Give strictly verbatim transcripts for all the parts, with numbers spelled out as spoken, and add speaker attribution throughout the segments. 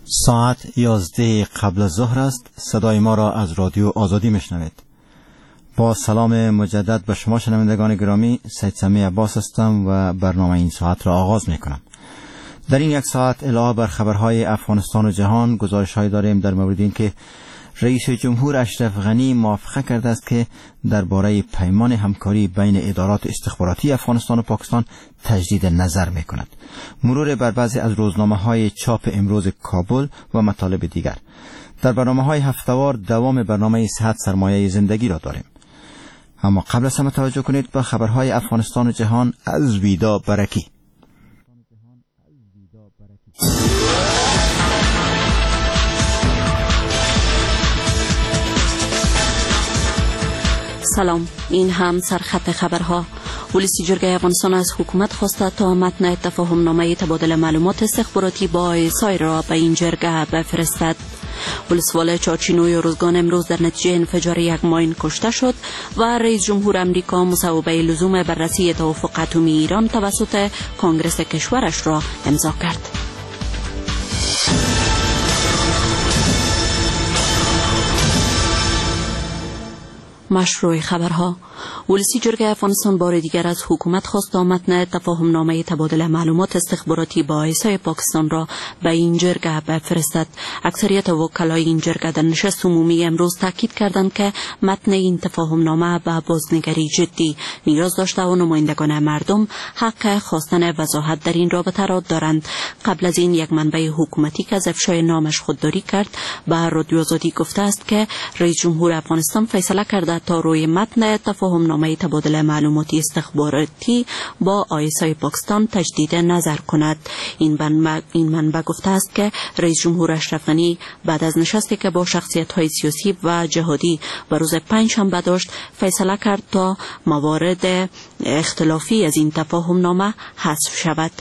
Speaker 1: ساعت یازده قبل از ظهر است. صدای ما را از رادیو آزادی میشنوید. با سلام مجدد به شما شنوندگان گرامی، سید سمیع عباس هستم و برنامه این ساعت را آغاز میکنم. در این یک ساعت علاوه بر خبرهای افغانستان و جهان، گزارش‌هایی داریم در مورد اینکه رئیس جمهور اشرف غنی موافقه کرده است که درباره پیمان همکاری بین ادارات استخباراتی افغانستان و پاکستان تجدید نظر میکند. مرور بر بعضی از روزنامه‌های چاپ امروز کابل و مطالب دیگر. در برنامه‌های هفته‌وار دوام برنامه صحت سرمایه زندگی را داریم. اما قبل از همه توجه کنید به خبرهای افغانستان و جهان از ویدا برکی.
Speaker 2: سلام، این هم سرخط خبرها. ولسی جرگه افغانستان از حکومت خواسته تا متن تفاهم نامه تبادل معلومات استخباراتی با آی اس آی را به این جرگه بفرستد. ولسوال چارچینوی ارزگان امروز در نتیجه انفجار یک ماین کشته شد و رئیس جمهور امریکا مصوبه لزوم بررسی توافق اتمی ایران توسط کانگرس کشورش را امضا کرد. مشروع خبرها. ولسی جرگه افغانستان بار دیگر از حکومت خواست تا متن تفاهم نامه تبادل معلومات استخباراتی با آی اس آی پاکستان را به این جرگه بفرستد. اکثریت وکلای این جرگه در نشست عمومی امروز تاکید کردند که متن این تفاهم نامه به بازنگری جدی نیاز داشته و نمایندگان مردم حق خواستن وضاحت در این رابطه را دارند. قبل از این یک منبع حکومتی که از افشای نامش خودداری کرد، به رادیو آزادی گفته است که رئیس جمهور افغانستان فیصله کرده تا روی متن تفاهم نامه تبادل معلوماتی استخباراتی با آی اس آی پاکستان تجدید نظر کند. این منبع, این منبع گفته است که رئیس جمهور اشرف غنی بعد از نشستی که با شخصیت های سیاسی و جهادی به روز پنجشنبه داشت، فیصله کرد تا موارد اختلافی از این تفاهم نامه حذف شود.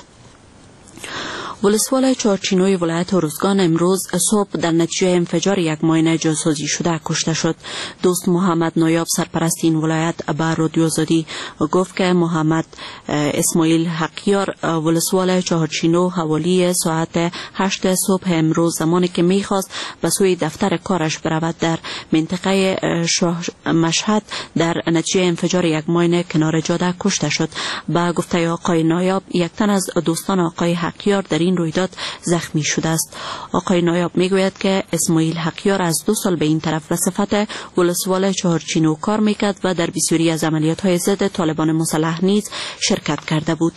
Speaker 2: ولسوال چارچینوی ولایت ارزگان امروز صبح در نتیجه انفجار یک ماین جاسازی شده کشته شد. دوست محمد نایاب، سرپرست این ولایت، به رادیو آزادی گفت که محمد اسماعیل حقیار، ولسوال چهارچینو، حوالی ساعت هشت صبح امروز زمانی که میخواست به سوی دفتر کارش برود، در منطقه شاه مشهد در نتیجه انفجار یک ماین کنار جاده کشته شد. به گفته آقای نایاب، یک تن از دوستان آقای حقیار در این رویداد زخمی شده است. آقای نایاب میگوید که اسماعیل حقیار از دو سال به این طرف به صفت ولسوال چهارچینو کار میکرد و در بسیاری از عملیات های ضد طالبان مسلح نیز شرکت کرده بود.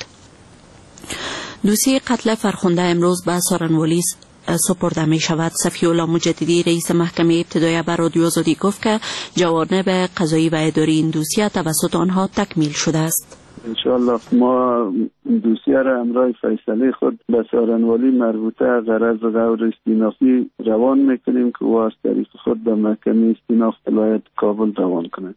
Speaker 2: دوسیه قتل فرخنده امروز به سارنوالی سپرده می شود. صفی الله مجددی، رئیس محکمه ابتداییه، به رادیو آزادی گفت که جوانب قضایی و اداری این دوسیه توسط آنها تکمیل شده است.
Speaker 3: انشاءالله ما دوسیه را همراه فیصله خود به سارنوالی مربوطه غرض غور استینافی روان میکنیم که او از طریق خود به محکمه استیناف ولایت کابل روان کند.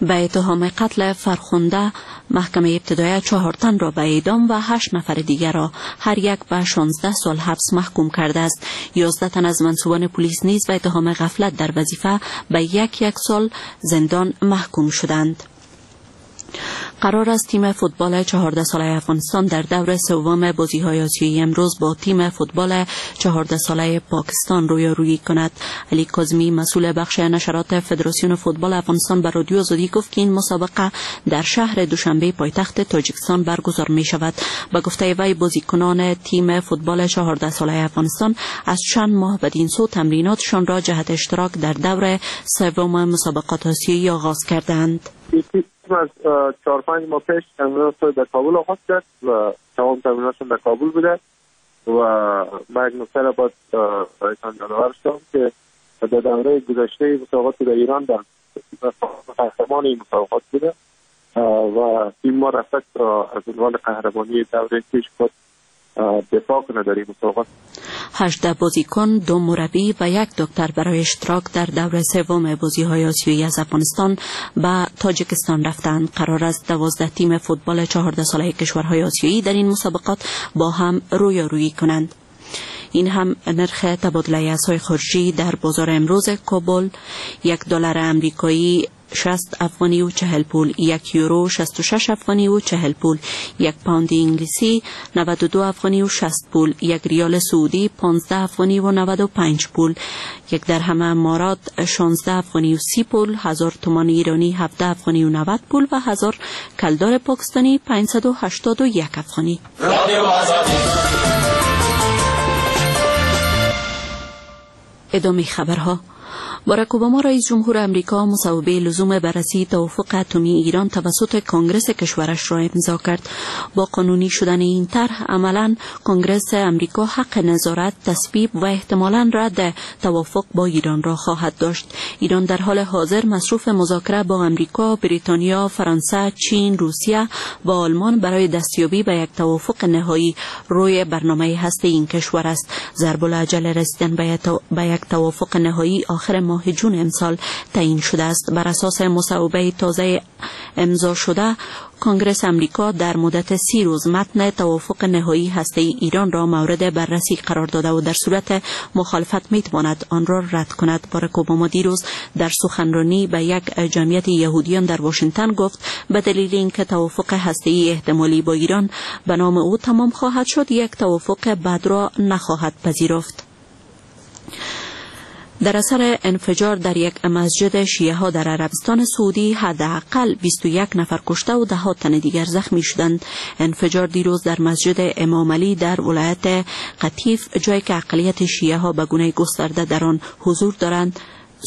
Speaker 2: به اتهام قتل فرخنده، محکمه ابتداییه چهار تن را به اعدام و هشت نفر دیگر را هر یک به شانزده سال حبس محکوم کرده است. یازده تن از منسوبان پلیس نیز به اتهام غفلت در وظیفه به یک یک سال زندان محکوم شدند. قرار است تیم فوتبال چهارده ساله افغانستان در دور سوم بازی های آسیایی امروز با تیم فوتبال چهارده ساله پاکستان رویارویی کند. علی کاظمی، مسئول بخش نشرات فدراسیون فوتبال افغانستان، به رادیو آزادی گفت که این مسابقه در شهر دوشنبه، پایتخت تاجیکستان، برگزار می شود. به گفته وی، بازیکنان تیم فوتبال چهارده ساله افغانستان از چند ماه بدین سو تمریناتشان را جهت اشتراک در دور سوم مسابقات آسیایی آغاز کردند.
Speaker 4: از چهار پنج ماه پیش تمرینات در کابل آغاز کرد و تمام تمریناتشون در کابل بوده و ما یک نکته را باید برایتان یادآور شدم که در دوره گذشته مسابقات در ایران در قهرمان این مسابقات بوده و تیم ما رفت از عنوان قهرمانی دوره پیش خود دفاع کنه در این مسابقات.
Speaker 2: هجده بازیکن، دو مربی و یک دکتر برای اشتراک در دور سوم بازی های آسیایی از افغانستان به تاجیکستان رفتند. قرار است دوازده تیم فوتبال چهارده ساله کشورهای آسیایی در این مسابقات با هم رویارویی کنند. این هم نرخ تبادله ارزهای خارجی در بازار امروز کابل. یک دلار امریکایی شصت افغانی و چهل پول، یک یورو شصت و شش افغانی و چهل پول، یک پوند انگلیسی نود و دو افغانی و شصت پول، یک ریال سعودی پانزده افغانی و نود و پنج پول، یک درهم امارات شانزده افغانی و سی پول، هزار تومان ایرانی هفده افغانی و نود پول و هزار کلدار پاکستانی پانصد و هشتاد و یک افغانی. ادامه خبرها. باراک اوباما رئیس جمهور امریکا مصوبه لزوم بررسی توافق اتمی ایران توسط کنگرس کشورش را امضا کرد. با قانونی شدن این طرح عملاً کنگرس امریکا حق نظارت، تصویب و احتمالاً رد توافق با ایران را خواهد داشت. ایران در حال حاضر مصروف مذاکره با امریکا، بریتانیا، فرانسه، چین، روسیه و آلمان برای دستیابی به یک توافق نهایی روی برنامه هسته این کشور است. ضرب العجل رسیدن به یک توافق نهایی آخر ماه جون امسال تعیین شده است. بر اساس مصوبه تازه امضا شده، کنگرس امریکا در مدت سی روز متن توافق نهایی هسته ایران را مورد بررسی قرار داده و در صورت مخالفت میتواند آن را رد کند. باراک اوباما دیروز در سخنرانی به یک جمعیت یهودیان در واشنگتن گفت به دلیل اینکه توافق هسته‌ای احتمالی با ایران به نام او تمام خواهد شد، یک توافق بد را نخواهد پذیرفت. در اثر انفجار در یک مسجد شیعه ها در عربستان سعودی حداقل بیست و یک نفر کشته و ده ها تن دیگر زخمی شدند. انفجار دیروز در مسجد امام علی در ولایت قطیف، جایی که اقلیت شیعه ها به گونه گسترده در آن حضور دارند،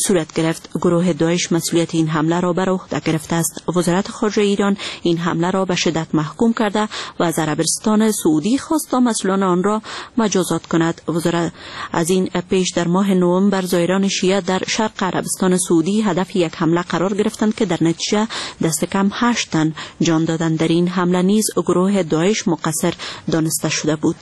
Speaker 2: صورت گرفت. گروه داعش مسئولیت این حمله را بر عهده گرفته است. وزارت خارجه ایران این حمله را به شدت محکوم کرده و از عربستان سعودی خواست تا مسئولان آن را مجازات کند. وزارت از این پیش در ماه نوامبر زائران شیعه در شرق عربستان سعودی هدف یک حمله قرار گرفتند که در نتیجه دست کم هشت تن جان دادند. در این حمله نیز گروه داعش مقصر دانسته شده بود.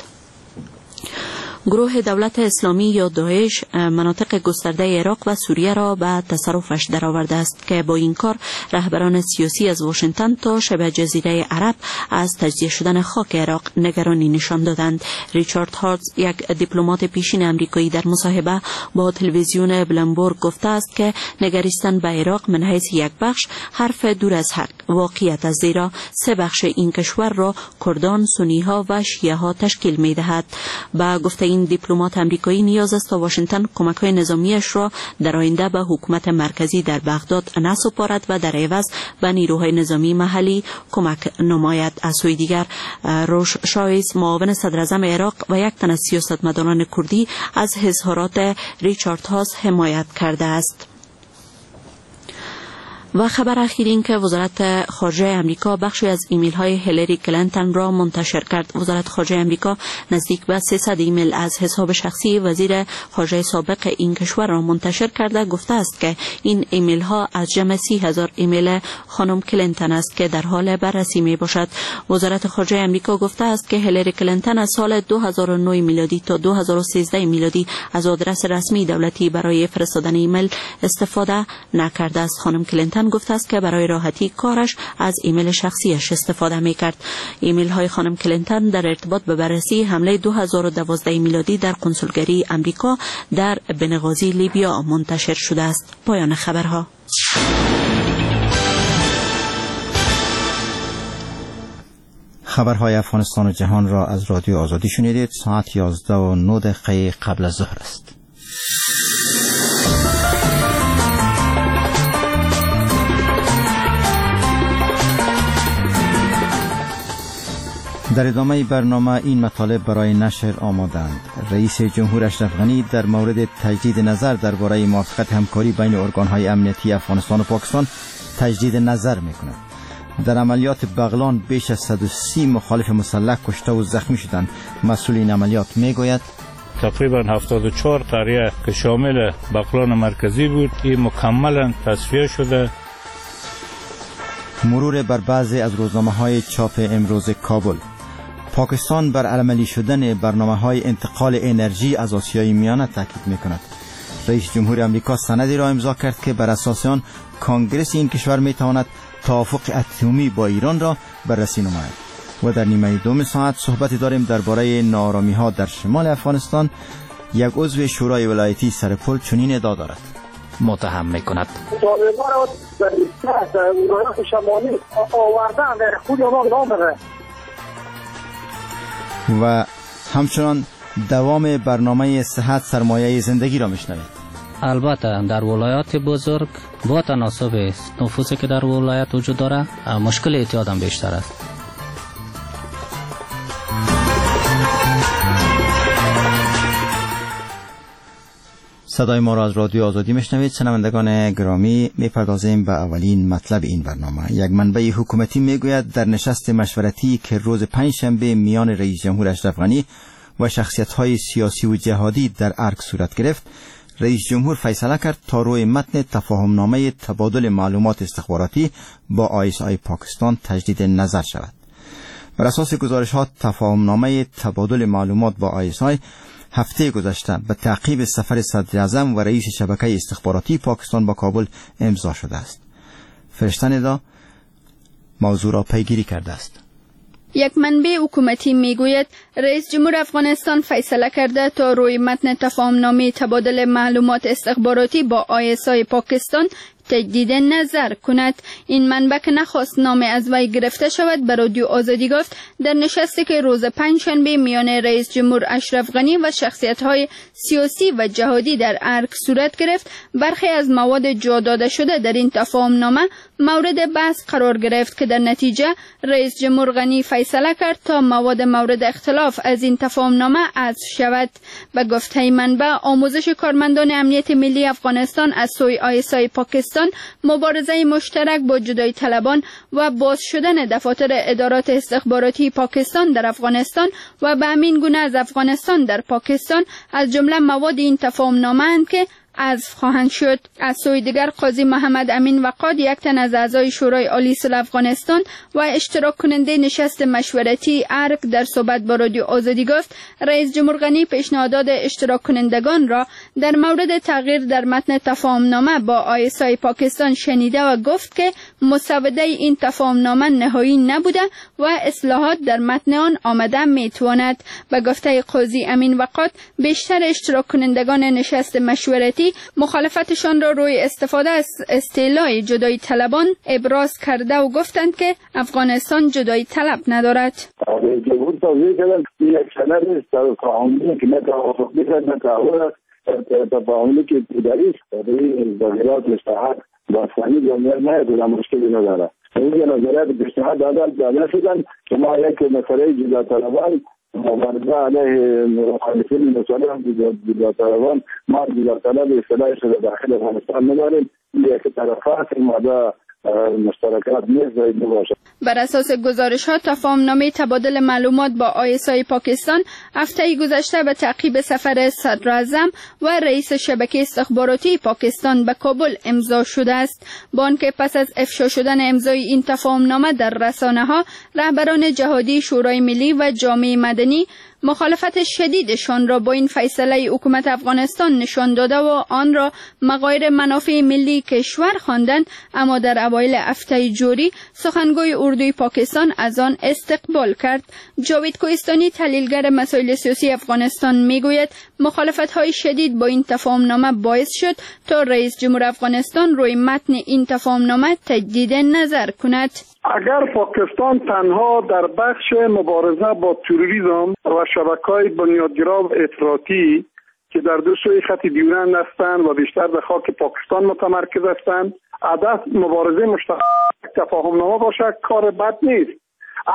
Speaker 2: گروه دولت اسلامی یا داعش مناطق گسترده عراق و سوریه را به تصرفش درآورده است که با این کار رهبران سیاسی از واشنگتن تا شبه جزیره عرب از تجزیه شدن خاک عراق نگرانی نشان دادند. ریچارد هارتز، یک دیپلمات پیشین امریکایی، در مصاحبه با تلویزیون بلومبرگ گفته است که نگریستن به عراق من حیث یک بخش حرف دور از حق واقعیت است، زیرا سه بخش این کشور را کردان، سنی ها و شیعه ها تشکیل می دهد. به گفته این دیپلمات امریکایی نیاز است تا واشنگتن کمک‌های نظامیش را در آینده به حکومت مرکزی در بغداد نسپارد و در عوض به نیروهای نظامی محلی کمک نماید. از سوی دیگر، روش شایز، معاون صدراعظم عراق و یک تن از سیاستمداران کردی از اظهارات ریچارد هاس حمایت کرده است. و خبر اخیر این که وزارت خارجه امریکا بخشی از ایمیل های هیلاری کلینتون را منتشر کرد. وزارت خارجه امریکا نزدیک به سیصد ایمیل از حساب شخصی وزیر خارجه سابق این کشور را منتشر کرده، گفته است که این ایمیل ها از جمع سی هزار ایمیل خانم کلینتون است که در حال بررسی می باشد. وزارت خارجه امریکا گفته است که هیلاری کلینتون از سال دو هزار و نه میلادی تا دو هزار و سیزده میلادی از آدرس رسمی دولتی برای فرستادن ایمیل استفاده نکرده است. خانم کلینتون گفته است که برای راحتی کارش از ایمیل شخصیش استفاده میکرد. ایمیل های خانم کلینتون در ارتباط به بررسی حمله دو هزار و دوازده میلادی در کنسولگری امریکا در بنغازی لیبیا منتشر شده است. پایان خبرها.
Speaker 1: خبرهای افغانستان و جهان را از رادیو آزادی شنیدید. ساعت یازده و نه دقیقه قبل از ظهر است. در ادامه برنامه این مطالب برای نشر آمادند. رئیس جمهور اشرف غنی در مورد تجدید نظر درباره موافقت همکاری بین ارگان‌های امنیتی افغانستان و پاکستان تجدید نظر می‌کند. در عملیات بغلان بیش از صد و سی مخالف مسلح کشته و زخمی شدند. مسئول این عملیات میگوید
Speaker 5: تقریبا هفتاد و چهار قریه که شامل بغلان مرکزی بود این مکملا تصفیه شده.
Speaker 1: مرور بر بعضی از روزنامه‌های چاپ امروز کابل. پاکستان بر عملی شدن برنامه‌های انتقال انرژی از آسیای میانه تاکید می‌کند. رئیس جمهور آمریکا سندی را امضا کرد که بر اساس آن کانگرس این کشور می‌تواند توافق اتمی با ایران را بررسی نماید. و در نیمه دوم ساعت صحبتی داریم درباره ناآرامی‌ها در شمال افغانستان. یک عضو شورای ولایتی سرپل چنین ادعا دارد.
Speaker 6: متهم می کند.
Speaker 1: و همچنان دوام برنامه صحت سرمایه زندگی را میشنوید.
Speaker 6: البته در ولایات بزرگ با تناسب نفوذی که در ولایت وجود داره مشکل اعتیاد هم بیشتر است.
Speaker 1: صدای ما را از رادیو آزادی میشنوید. شنوندگان گرامی، میپردازیم به اولین مطلب این برنامه. یک منبع حکومتی میگوید در نشست مشورتی که روز پنجشنبه میان رئیس جمهور اشرف غنی و شخصیت‌های سیاسی و جهادی در ارگ صورت گرفت، رئیس جمهور فیصله کرد تا روی متن تفاهمنامه تبادل معلومات استخباراتی با آی اس آی پاکستان تجدید نظر شود. بر اساس گزارش‌ها تفاهمنامه تبادل معلومات با آی اس آی هفته گذشته به تعقیب سفر صدراعظم و رئیس شبکه استخباراتی پاکستان با کابل امضا شده است. فرشته ندا موضوع را پیگیری کرده است.
Speaker 7: یک منبع حکومتی میگوید رئیس جمهور افغانستان فیصله کرده تا روی متن تفاهمنامه تبادل معلومات استخباراتی با آی اس آی پاکستان تجدید نظر کند. این منبع که نخواست نام از وی گرفته شود به رادیو آزادی گفت در نشستی که روز پنجشنبه میان رئیس جمهور اشرف غنی و شخصیت‌های سیاسی و جهادی در ارگ صورت گرفت، برخی از مواد جا داده شده در این تفاهمنامه مورد بحث قرار گرفت که در نتیجه رئیس جمهور غنی فیصله کرد تا مواد مورد اختلاف از این تفاهمنامه حذف شود. به گفته منبع، آموزش کارمندان امنیت ملی افغانستان از سوی آی اس آی پاکستان، مبارزه مشترک با جدایی طلبان و باز شدن دفاتر ادارات استخباراتی پاکستان در افغانستان و به همین گونه از افغانستان در پاکستان از جمله مواد این تفاهمنامه اند که حذف خواهند شد. از سوی دیگر، قاضی محمد امین وقاد، یک تن از اعضای شورای عالی صلح افغانستان و اشتراک کننده نشست مشورتی ارگ، در صحبت با رادیو آزادی گفت رئیس جمهور غنی پیشنهادات اشتراک کنندگان را در مورد تغییر در متن تفاهمنامه با آی اس آی پاکستان شنیده و گفت که مسوده این تفاهمنامه نهایی نبوده و اصلاحات در متن آن آمده میتواند. به گفته قاضی امین وقاد، بیشتر اشتراک کنندگان نشست مشورتی مخالفتشان را روی استفاده از اصطلاح جدایی طلبان ابراز کرده و گفتند که افغانستان جدایی طلب ندارد.
Speaker 3: جمهور توضیح کردن یک سند تفاهمی که نه توافق می‌کرد نه تعهد، تفاهمی که ابتدایی است برای تغییرات اصلاحات باستانی جامعه نه مشکلی نداره. این نظریات پیشنهاد دادن داده شدن که ما یک مسئله جدا طلبان مبارزه علیه مخالفین مسلح جدا طلبان، ما جدا طلب اصطلاح شده داخل افغانستان نداریم، یک طرفات ماده مشترکات نیست باشه.
Speaker 7: بر اساس گزارش ها، تفاهمنامه تبادل معلومات با آی اس آی پاکستان هفته گذشته به تعقیب سفر صدراعظم و رئیس شبکه استخباراتی پاکستان به کابل امضا شده است. با آنکه پس از افشا شدن امضای این تفاهمنامه در رسانه ها، رهبران جهادی شورای ملی و جامعه مدنی مخالفت شدیدشان را با این فیصله حکومت افغانستان نشان داده و آن را مغایر منافع ملی کشور خواندند، اما در اوایل هفته جاری سخنگوی اردوی پاکستان از آن استقبال کرد. جاوید کوهستانی، تحلیلگر مسائل سیاسی افغانستان، میگوید مخالفت‌های شدید با این تفاهمنامه باعث شد تا رئیس جمهور افغانستان روی متن این تفاهمنامه تجدید نظر کند.
Speaker 8: اگر پاکستان تنها در بخش مبارزه با تروریسم و شبکه‌های بنیادگرا و افراطی که در دو سوی خط دیورند هستند و بیشتر به خاک پاکستان متمرکز هستند، هدف مبارزه مشترک تفاهمنامه باشد، کار بد نیست.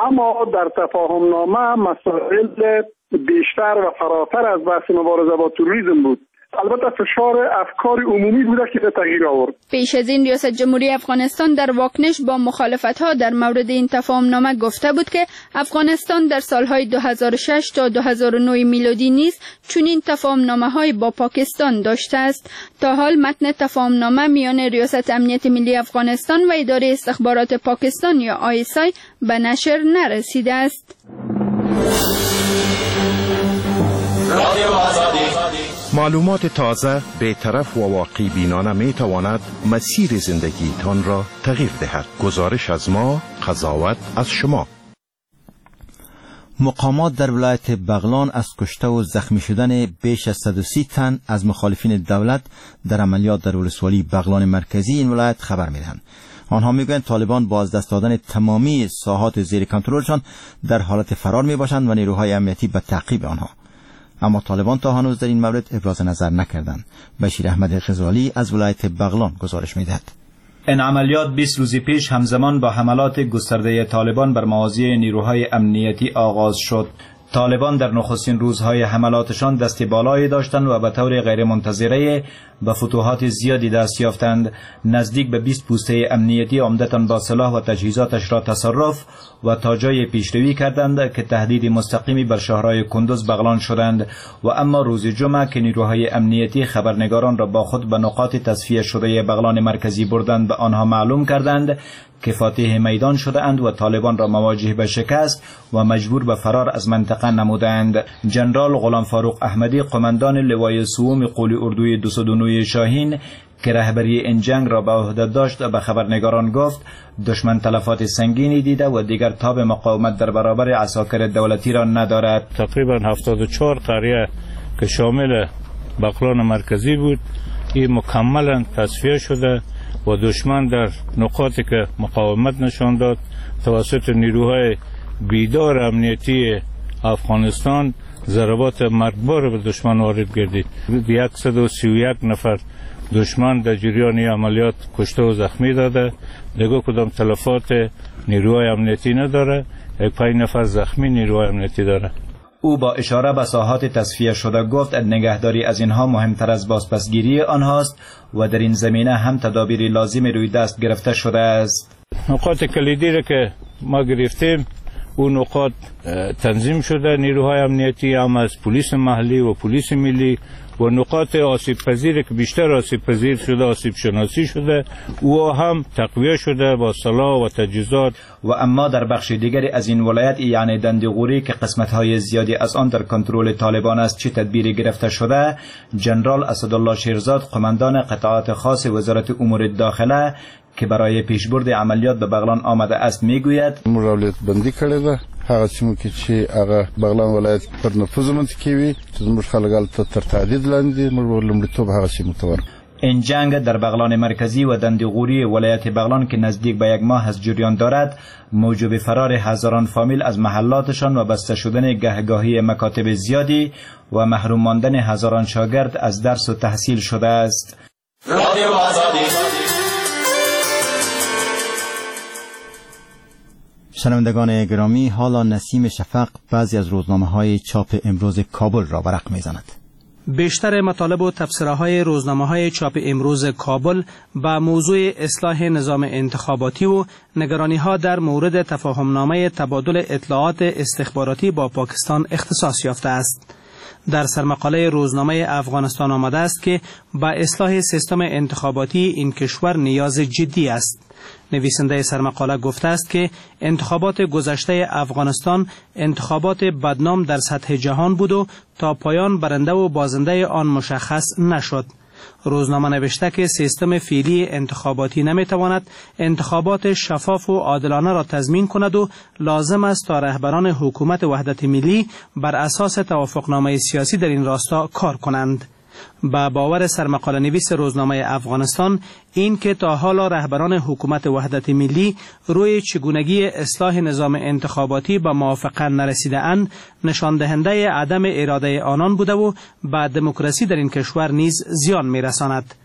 Speaker 8: اما در تفاهمنامه مسائل بیشتر و فراتر از بحث مبارزه با تروریسم بود. البته فشار افکار عمومی بوده که به تغییر آورد.
Speaker 7: پیش از این ریاست جمهوری افغانستان در واکنش با مخالفت‌ها در مورد این تفاهمنامه گفته بود که افغانستان در سالهای دو هزار و شش تا دو هزار و نه میلادی نیز چنین تفاهمنامه‌های با پاکستان داشته است. تا حال متن تفاهمنامه میان ریاست امنیت ملی افغانستان و اداره استخبارات پاکستان یا آی اس آی به نشر نرسیده است.
Speaker 9: معلومات تازه، بی‌طرف و واقع بینانه می تواند مسیر زندگیتان را تغییر دهد. گزارش از ما، قضاوت از شما.
Speaker 1: مقامات در ولایت بغلان از کشته و زخمی شدن بیش از صد و سی تن از مخالفین دولت در عملیات در ولسوالی بغلان مرکزی این ولایت خبر می‌دهند. آنها میگویند طالبان با از دست دادن تمامی ساحات زیر کنترلشان در حالت فرار میباشند و نیروهای امنیتی به تعقیب آنها. اما طالبان تا هنوز در این مورد ابراز نظر نکردند. بشیر احمد غزالی از ولایت بغلان گزارش میدهد.
Speaker 10: این عملیات بیست روز پیش همزمان با حملات گسترده طالبان بر مواضع نیروهای امنیتی آغاز شد. طالبان در نخستین روزهای حملاتشان دست بالایی داشتند و به طور غیرمنتظره به فتوحات زیادی دست یافتند. نزدیک به بیست پوسته امنیتی عمدتاً با سلاح و تجهیزاتش را تصرف و تا جای پیشروی کردند که تهدید مستقیمی بر شهرهای کندز بغلان شدند. و اما روز جمعه که نیروهای امنیتی خبرنگاران را با خود به نقاط تصفیه شده بغلان مرکزی بردند، به آنها معلوم کردند که فاتح میدان شده اند و طالبان را مواجه به شکست و مجبور به فرار از منطقه نمودند. جنرال غلام فاروق احمدی، قماندان لوای سوم قول اردوی دویست و نه شاهین که رهبری این جنگ را به عهده داشت، به خبرنگاران گفت دشمن تلفات سنگینی دیده و دیگر تاب مقاومت در برابر عساکر دولتی را ندارد.
Speaker 5: تقریبا هفتاد و چهار قریه که شامل بغلان مرکزی بود، این مکملا تصفیه شده و دشمن در نقاطی که مقاومت نشان داد توسط نیروهای بیدار امنیتی افغانستان ضربات مرگبار به دشمن وارد گردید. صد و سی و یک نفر دشمن در جریان عملیات کشته و زخمی داده، دیگه کدام تلفات نیروهای امنیتی نداره، یک پنج نفر زخمی نیروهای امنیتی داره.
Speaker 10: او با اشاره به ساحات تصفیه شده گفت نگهداری از اینها مهمتر از بازپسگیری آنهاست و در این زمینه هم تدابیر لازم روی دست گرفته شده است.
Speaker 5: نقاط کلیدی را که ما گرفتیم اون نقاط تنظیم شده، نیروهای امنیتی هم از پلیس محلی و پلیس ملی و نقاط آسیب پذیر که بیشتر آسیب پذیر شده، آسیب شناسی شده، او هم تقویه شده با سلاح و تجهیزات.
Speaker 10: و اما در بخش دیگری از این ولایت یعنی دندغوری که قسمت‌های زیادی از آن در کنترل طالبان است چه تدبیری گرفته شده، جنرال اسدالله شیرزاد قماندان قطعات خاص وزارت امور داخله که برای پیشبرد عملیات به بغلان آمده است میگوید:
Speaker 11: موږ اولویت بندي کړې ده، هغه سیمو کې چې هغه بغلان ولایت پر نفوذ منطقي وي چې زموږ خلک هلته تر تهدید لاندې، موږ لومړیتوب هغه سیمو ته ورکړو.
Speaker 10: این جنگ در بغلان مرکزی و دندغوری ولایت بغلان که نزدیک به یک ماه از جریان دارد، موجب فرار هزاران فامیل از محلاتشان و بسته شدن گهگاهی مکاتب زیادی و محروم ماندن هزاران شاگرد از درس و تحصیل شده است.
Speaker 1: شنوندگان گرامی، حالا نسیم شفق بعضی از روزنامه‌های چاپ امروز کابل را ورق می‌زند.
Speaker 12: بیشتر مطالب و تبصره‌های روزنامه‌های چاپ امروز کابل به موضوع اصلاح نظام انتخاباتی و نگرانی‌ها در مورد تفاهمنامه تبادل اطلاعات استخباراتی با پاکستان اختصاص یافته است. در سرمقاله روزنامه افغانستان آمده است که با اصلاح سیستم انتخاباتی این کشور نیاز جدی است. نویسنده سرمقاله گفته است که انتخابات گذشته افغانستان انتخابات بدنام در سطح جهان بود و تا پایان برنده و بازنده آن مشخص نشد. روزنامه نوشته که سیستم فعلی انتخاباتی نمیتواند انتخابات شفاف و عادلانه را تضمین کند و لازم است تا رهبران حکومت وحدت ملی بر اساس توافقنامه سیاسی در این راستا کار کنند. به باور سرمقاله نویس روزنامه افغانستان، این که تا حالا رهبران حکومت وحدت ملی روی چگونگی اصلاح نظام انتخاباتی به موافقه نرسیده اند، نشان دهنده عدم اراده آنان بوده و به دموکراسی در این کشور نیز زیان می‌رساند.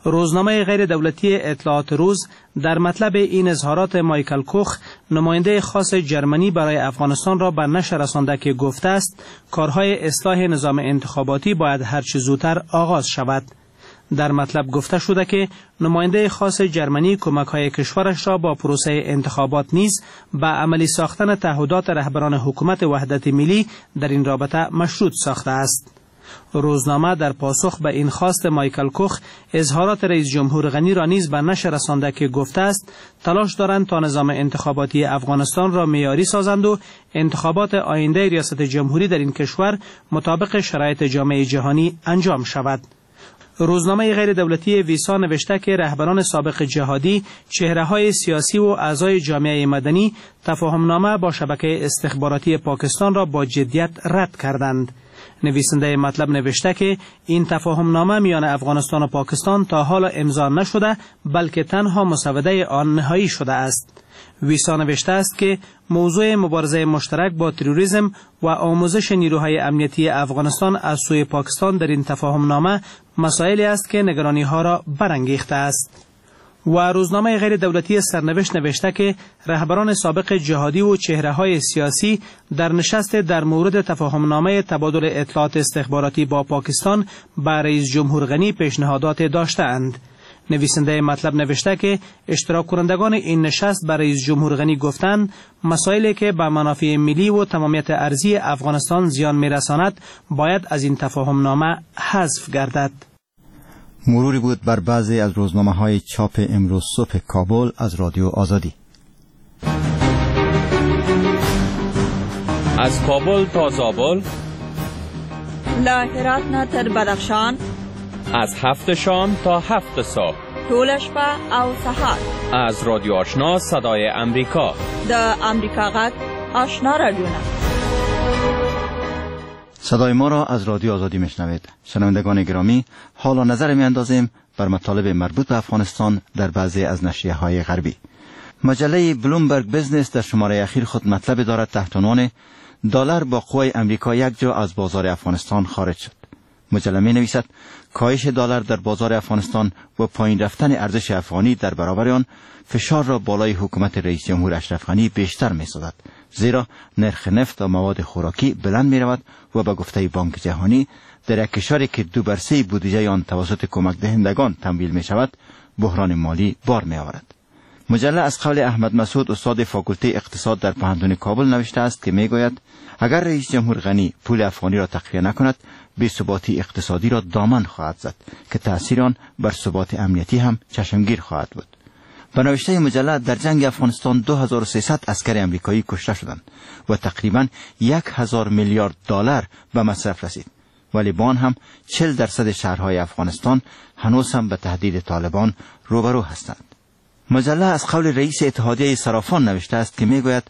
Speaker 12: روزنامه غیر دولتی اطلاعات روز در مطلب این اظهارات مایکل کوخ، نماینده خاص جرمنی برای افغانستان را به نشر رسانده که گفته است کارهای اصلاح نظام انتخاباتی باید هرچه زودتر آغاز شود. در مطلب گفته شده که نماینده خاص جرمنی کمک‌های کشورش را با پروسه انتخابات نیز به عملی ساختن تعهدات رهبران حکومت وحدت ملی در این رابطه مشروط ساخته است. روزنامه در پاسخ به این خواست مایکل کوخ اظهارات رئیس جمهور غنی را نیز به نشر رسانده که گفته است تلاش دارند تا نظام انتخاباتی افغانستان را معیاری سازند و انتخابات آینده ریاست جمهوری در این کشور مطابق شرایط جامعه جهانی انجام شود. روزنامه غیر دولتی ویسا نوشته که رهبران سابق جهادی، چهره‌های سیاسی و اعضای جامعه مدنی تفاهمنامه با شبکه استخباراتی پاکستان را با جدیت رد کردند. نویسنده مطلب نوشته که این تفاهمنامه میان افغانستان و پاکستان تا حال امضا نشده، بلکه تنها مسوده آن نهایی شده است. ویسا نوشته است که موضوع مبارزه مشترک با تروریسم و آموزش نیروهای امنیتی افغانستان از سوی پاکستان در این تفاهمنامه مسائلی است که نگرانی ها را برانگیخته است. و روزنامه غیر دولتی سرنوشت نوشته که رهبران سابق جهادی و چهره های سیاسی در نشست در مورد تفاهمنامه تبادل اطلاعات استخباراتی با پاکستان به رئیس جمهور غنی پیشنهادات داشته‌اند. نویسنده مطلب نوشته که اشتراک کنندگان این نشست به رئیس جمهور غنی گفتند مسائلی که به منافع ملی و تمامیت ارضی افغانستان زیان می‌رساند باید از این تفاهمنامه حذف گردد.
Speaker 1: مروری بود بر بعضی از روزنامه‌های چاپ امروز صبح کابل از رادیو آزادی.
Speaker 13: از کابل تا زابل،
Speaker 14: له هرات نه تر بدخشان،
Speaker 13: از هفت شام تا هفت صبح،
Speaker 14: ټوله شپه او سهار،
Speaker 13: از رادیو آشنا صدای امریکا،
Speaker 14: د امریکا غږ آشنا رادیو.
Speaker 1: صدای ما را از رادیو آزادی میشنوید. شنوندگان گرامی، حالا نظر میاندازیم بر مطالب مربوط به افغانستان در بعضی از نشریه های غربی. مجله بلومبرگ بزنس در شماره اخیر خود مطلب دارد تحت عنوان دلار با قوای امریکا یک جا از بازار افغانستان خارج شد. مجله می نویسد کاهش دلار در بازار افغانستان و پایین رفتن ارزش افغانی در برابر آن فشار را بالای حکومت رئیس جمهور اشرف غنی بیشتر می سازد، زیرا نرخ نفت و مواد خوراکی بلند می رود و به گفته بانک جهانی در یک کشوری که دو بر سه بودجه آن توسط کمک دهندگان تمویل می شود بحران مالی بار می آورد. مجله از قول احمد مسعود استاد فاکولته اقتصاد در پوهنتون کابل نوشته است که می گوید اگر رئیس جمهور غنی پول افغانی را تقویه نکند بی‌ثباتی اقتصادی را دامن خواهد زد که تأثیر آن بر ثبات امنیتی هم چشمگیر خواهد بود. به نوشته مجله در جنگ افغانستان دو هزار و سیصد عسکر امریکایی کشته شدند و تقریباً یک هزار میلیارد دلار به مصرف رسید، ولی با آن هم چهل درصد شهرهای افغانستان هنوز هم به تهدید طالبان روبرو هستند. مجله از قول رئیس اتحادیه صرافان نوشته است که میگوید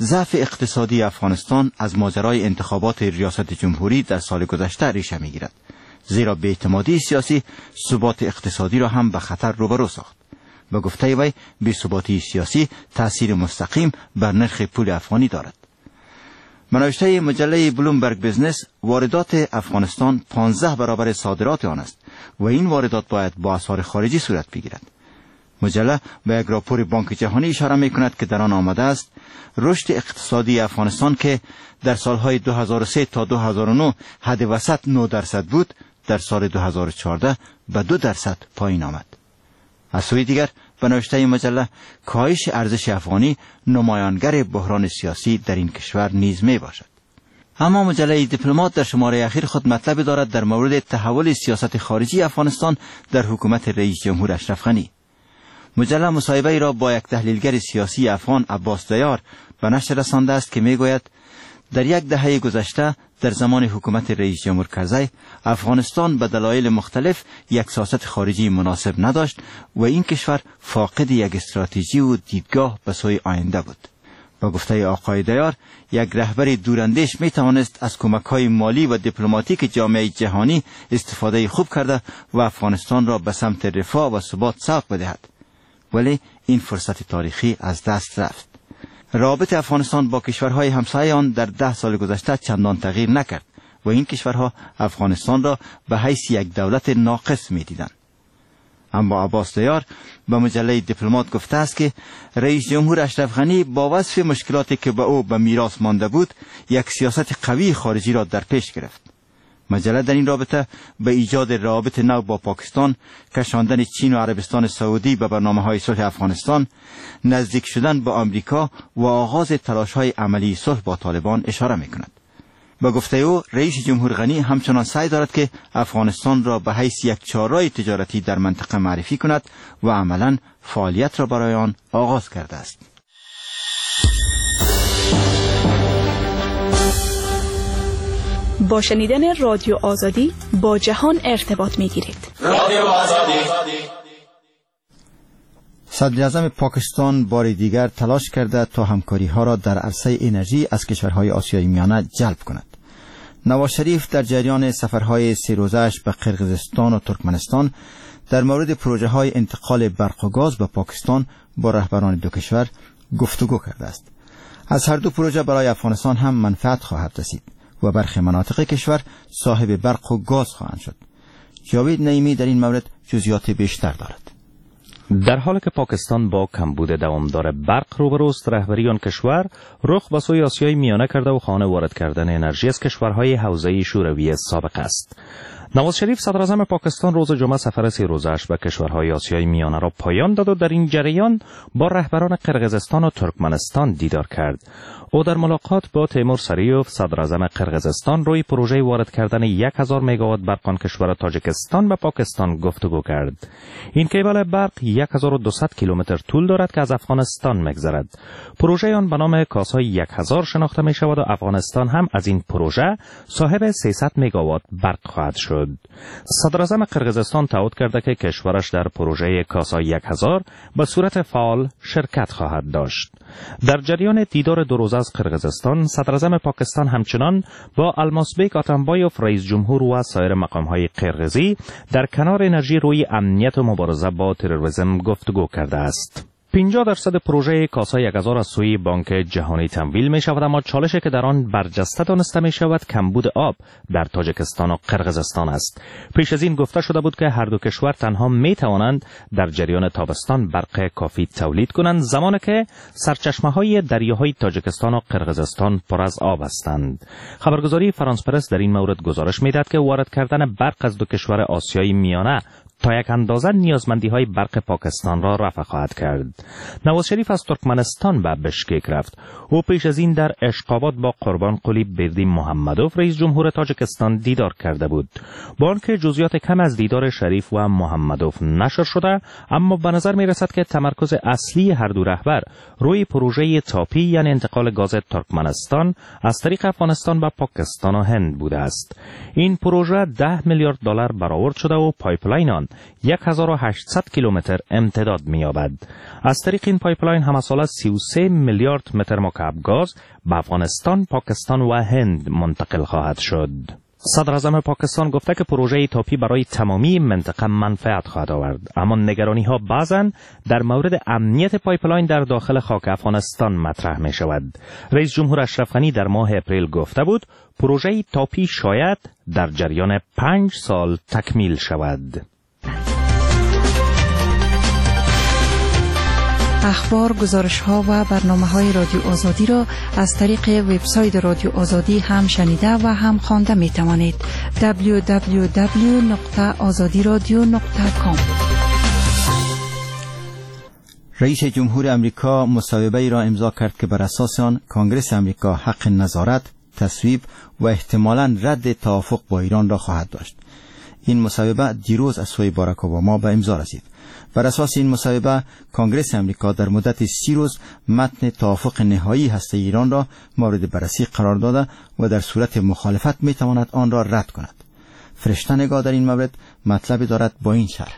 Speaker 1: ضعف اقتصادی افغانستان از ماجرای انتخابات ریاست جمهوری در سال گذشته ریشه میگیرد، زیرا بی‌اعتمادی سیاسی ثبات اقتصادی را هم به خطر روبرو ساخت. به گفته وی بی‌ثباتی سیاسی تاثیر مستقیم بر نرخ پول افغانی دارد. به نوشته مجله بلومبرگ بزنس واردات افغانستان پانزده برابر صادرات آن است و این واردات باید با اسعار خارجی صورت بگیرد. مجله به یک راپور بانک جهانی اشاره می کند که در آن آمده است رشد اقتصادی افغانستان که در سالهای دو هزار و سه تا دو هزار و نه حد وسط نه درصد بود، در سال دو هزار و چهارده به دو درصد پایین آمد. از سوی دیگر به نوشته مجله کاهش ارزش افغانی نمایانگر بحران سیاسی در این کشور نیز می باشد. اما مجله دیپلمات در شماره اخیر خود مطلب دارد در مورد تحول سیاست خارجی افغانستان در حکومت رئیس جمهور اشرف غنی. مجله مصاحبه ای را با یک تحلیلگر سیاسی افغان عباس دیار به نشر رسانده است که میگوید در یک دهه گذشته در زمان حکومت رئیس جمهور کرزی افغانستان به دلایل مختلف یک سیاست خارجی مناسب نداشت و این کشور فاقد یک استراتژی و دیدگاه به سوی آینده بود. با گفته آقای دیار یک رهبر دوراندیش می توانست از کمک‌های مالی و دیپلماتیک جامعه جهانی استفاده خوب کرده و افغانستان را به سمت رفاه و ثبات سوق بدهد، ولی این فرصت تاریخی از دست رفت. رابط افغانستان با کشورهای همسایه آن در ده سال گذشته چندان تغییر نکرد و این کشورها افغانستان را به حیث یک دولت ناقص می دیدند. اما عباس دیار به مجله دیپلمات گفته است که رئیس جمهور اشرف غنی با وصف مشکلاتی که به او به میراث مانده بود یک سیاست قوی خارجی را در پیش گرفت. مجله در این رابطه به ایجاد روابط نو با پاکستان، کشاندن چین و عربستان سعودی به برنامه‌های صلح افغانستان، نزدیک شدن به آمریکا و آغاز تلاش‌های عملی صلح با طالبان اشاره می‌کند. به گفته او رئیس جمهور غنی همچنان سعی دارد که افغانستان را به حیث یک چهارراه تجارتی در منطقه معرفی کند و عملاً فعالیت را برای آن آغاز کرده است.
Speaker 15: با شنیدن رادیو آزادی با جهان ارتباط میگیرید.
Speaker 16: رادیو آزادی.
Speaker 1: صدراعظم پاکستان بار دیگر تلاش کرده تا همکاری ها را در عرصه انرژی از کشورهای آسیای میانه جلب کند. نواز شریف در جریان سفرهای سه روزه‌اش به قرقیزستان و ترکمنستان در مورد پروژه های انتقال برق و گاز به پاکستان با رهبران دو کشور گفتگو کرده است. از هر دو پروژه برای افغانستان هم منفعت خواهد رسید و برخی مناطق کشور صاحب برق و گاز خواهند شد. جاوید نعیمی در این مورد جزئیات بیشتر دارد.
Speaker 17: در حالی که پاکستان با کمبود دوامدار برق روبروست، رهبری آن کشور رخ به سوی آسیای میانه کرده و خانه وارد کردن انرژی از کشورهای حوزه شوروی سابق است. نواز شریف صدراعظم پاکستان روز جمعه سفر سه روزه‌اش به کشورهای آسیای میانه را پایان داد و در این جریان با رهبران قرقیزستان و ترکمنستان دیدار کرد. او در ملاقات با تیمور سریوف صدراعظم قرقیزستان روی پروژه وارد کردن هزار مگاوات برق آن کشور تاجیکستان به پاکستان گفتگو کرد. این کیبل برق هزار و دویست کیلومتر طول دارد که از افغانستان می‌گذرد. پروژه آن به نام کاسای هزار شناخته می شود و افغانستان هم از این پروژه صاحب سیصد مگاوات برق خواهد شد. صدراعظم قرقیزستان تعهد کرده که کشورش در پروژه کاسای هزار به صورت فعال شرکت خواهد داشت. در جریان دیدار دو روزه از قرقیزستان، صدراعظم پاکستان همچنان با الماسبیک آتنبایوف رئیس جمهور و سایر مقام‌های قرقیزی در کنار انرژی روی امنیت و مبارزه با تروریسم گفتگو کرده است. پنجاه درصد پروژه کاسای هزار از سوی بانک جهانی تمویل می شود، اما چالشی که در آن برجسته دانسته می شود کمبود آب در تاجیکستان و قرقیزستان است. پیش از این گفته شده بود که هر دو کشور تنها می توانند در جریان تابستان برق کافی تولید کنند، زمانی که سرچشمه های دریاهای تاجیکستان و قرقیزستان پر از آب هستند. خبرگزاری فرانس پرس در این مورد گزارش می دهد که وارد کردن برق از دو کشور آسیای میانه تا یک اندازه نیازمندی های برق پاکستان را رفع خواهد کرد. نواز شریف از ترکمنستان به بشکک رفت. او پیش از این در عشق‌آباد با قربان قلی بردی محمدوف رئیس جمهور تاجیکستان دیدار کرده بود. با آنکه جزئیات کم از دیدار شریف و محمدوف نشر شده، اما به نظر می رسد که تمرکز اصلی هر دو رهبر روی پروژه تاپی، یعنی انتقال گاز ترکمنستان از طریق افغانستان به پاکستان و هند بوده است. این پروژه ده میلیارد دلار برآورد شده و pipeline آن هزار و هشتصد کیلومتر امتداد می‌یابد. از طریق این pipeline همساله سی و سه میلیارد متر مکعب گاز به افغانستان، پاکستان و هند منتقل خواهد شد. صدراعظم پاکستان گفته که پروژه تاپی برای تمامی منطقه منفعت خواهد آورد، اما نگرانی ها بعضاً در مورد امنیت pipeline در داخل خاک افغانستان مطرح می شود. رئیس جمهور اشرف غنی در ماه اپریل گفته بود پروژه تاپی شاید در جریان پنج سال تکمیل شود.
Speaker 18: اخبار، گزارش‌ها و برنامه‌های رادیو آزادی را از طریق وبسایت رادیو آزادی هم شنیده و هم خوانده می‌توانید. دبلیو دبلیو دبلیو نقطه آزادی رادیو نقطه کام.
Speaker 1: رئیس جمهور امریکا مصوبه‌ای را امضا کرد که بر اساس آن کانگرس امریکا حق نظارت، تصویب و احتمالاً رد توافق با ایران را خواهد داشت. این مصوبه دیروز از سوی باراک اوباما به امضا رسید. بر اساس این مصوبه کانگرس امریکا در مدت سی روز متن توافق نهایی هسته ایران را مورد بررسی قرار داده و در صورت مخالفت میتواند آن را رد کند. فرشته نگاه در این مورد مطلبی دارد با این شرح.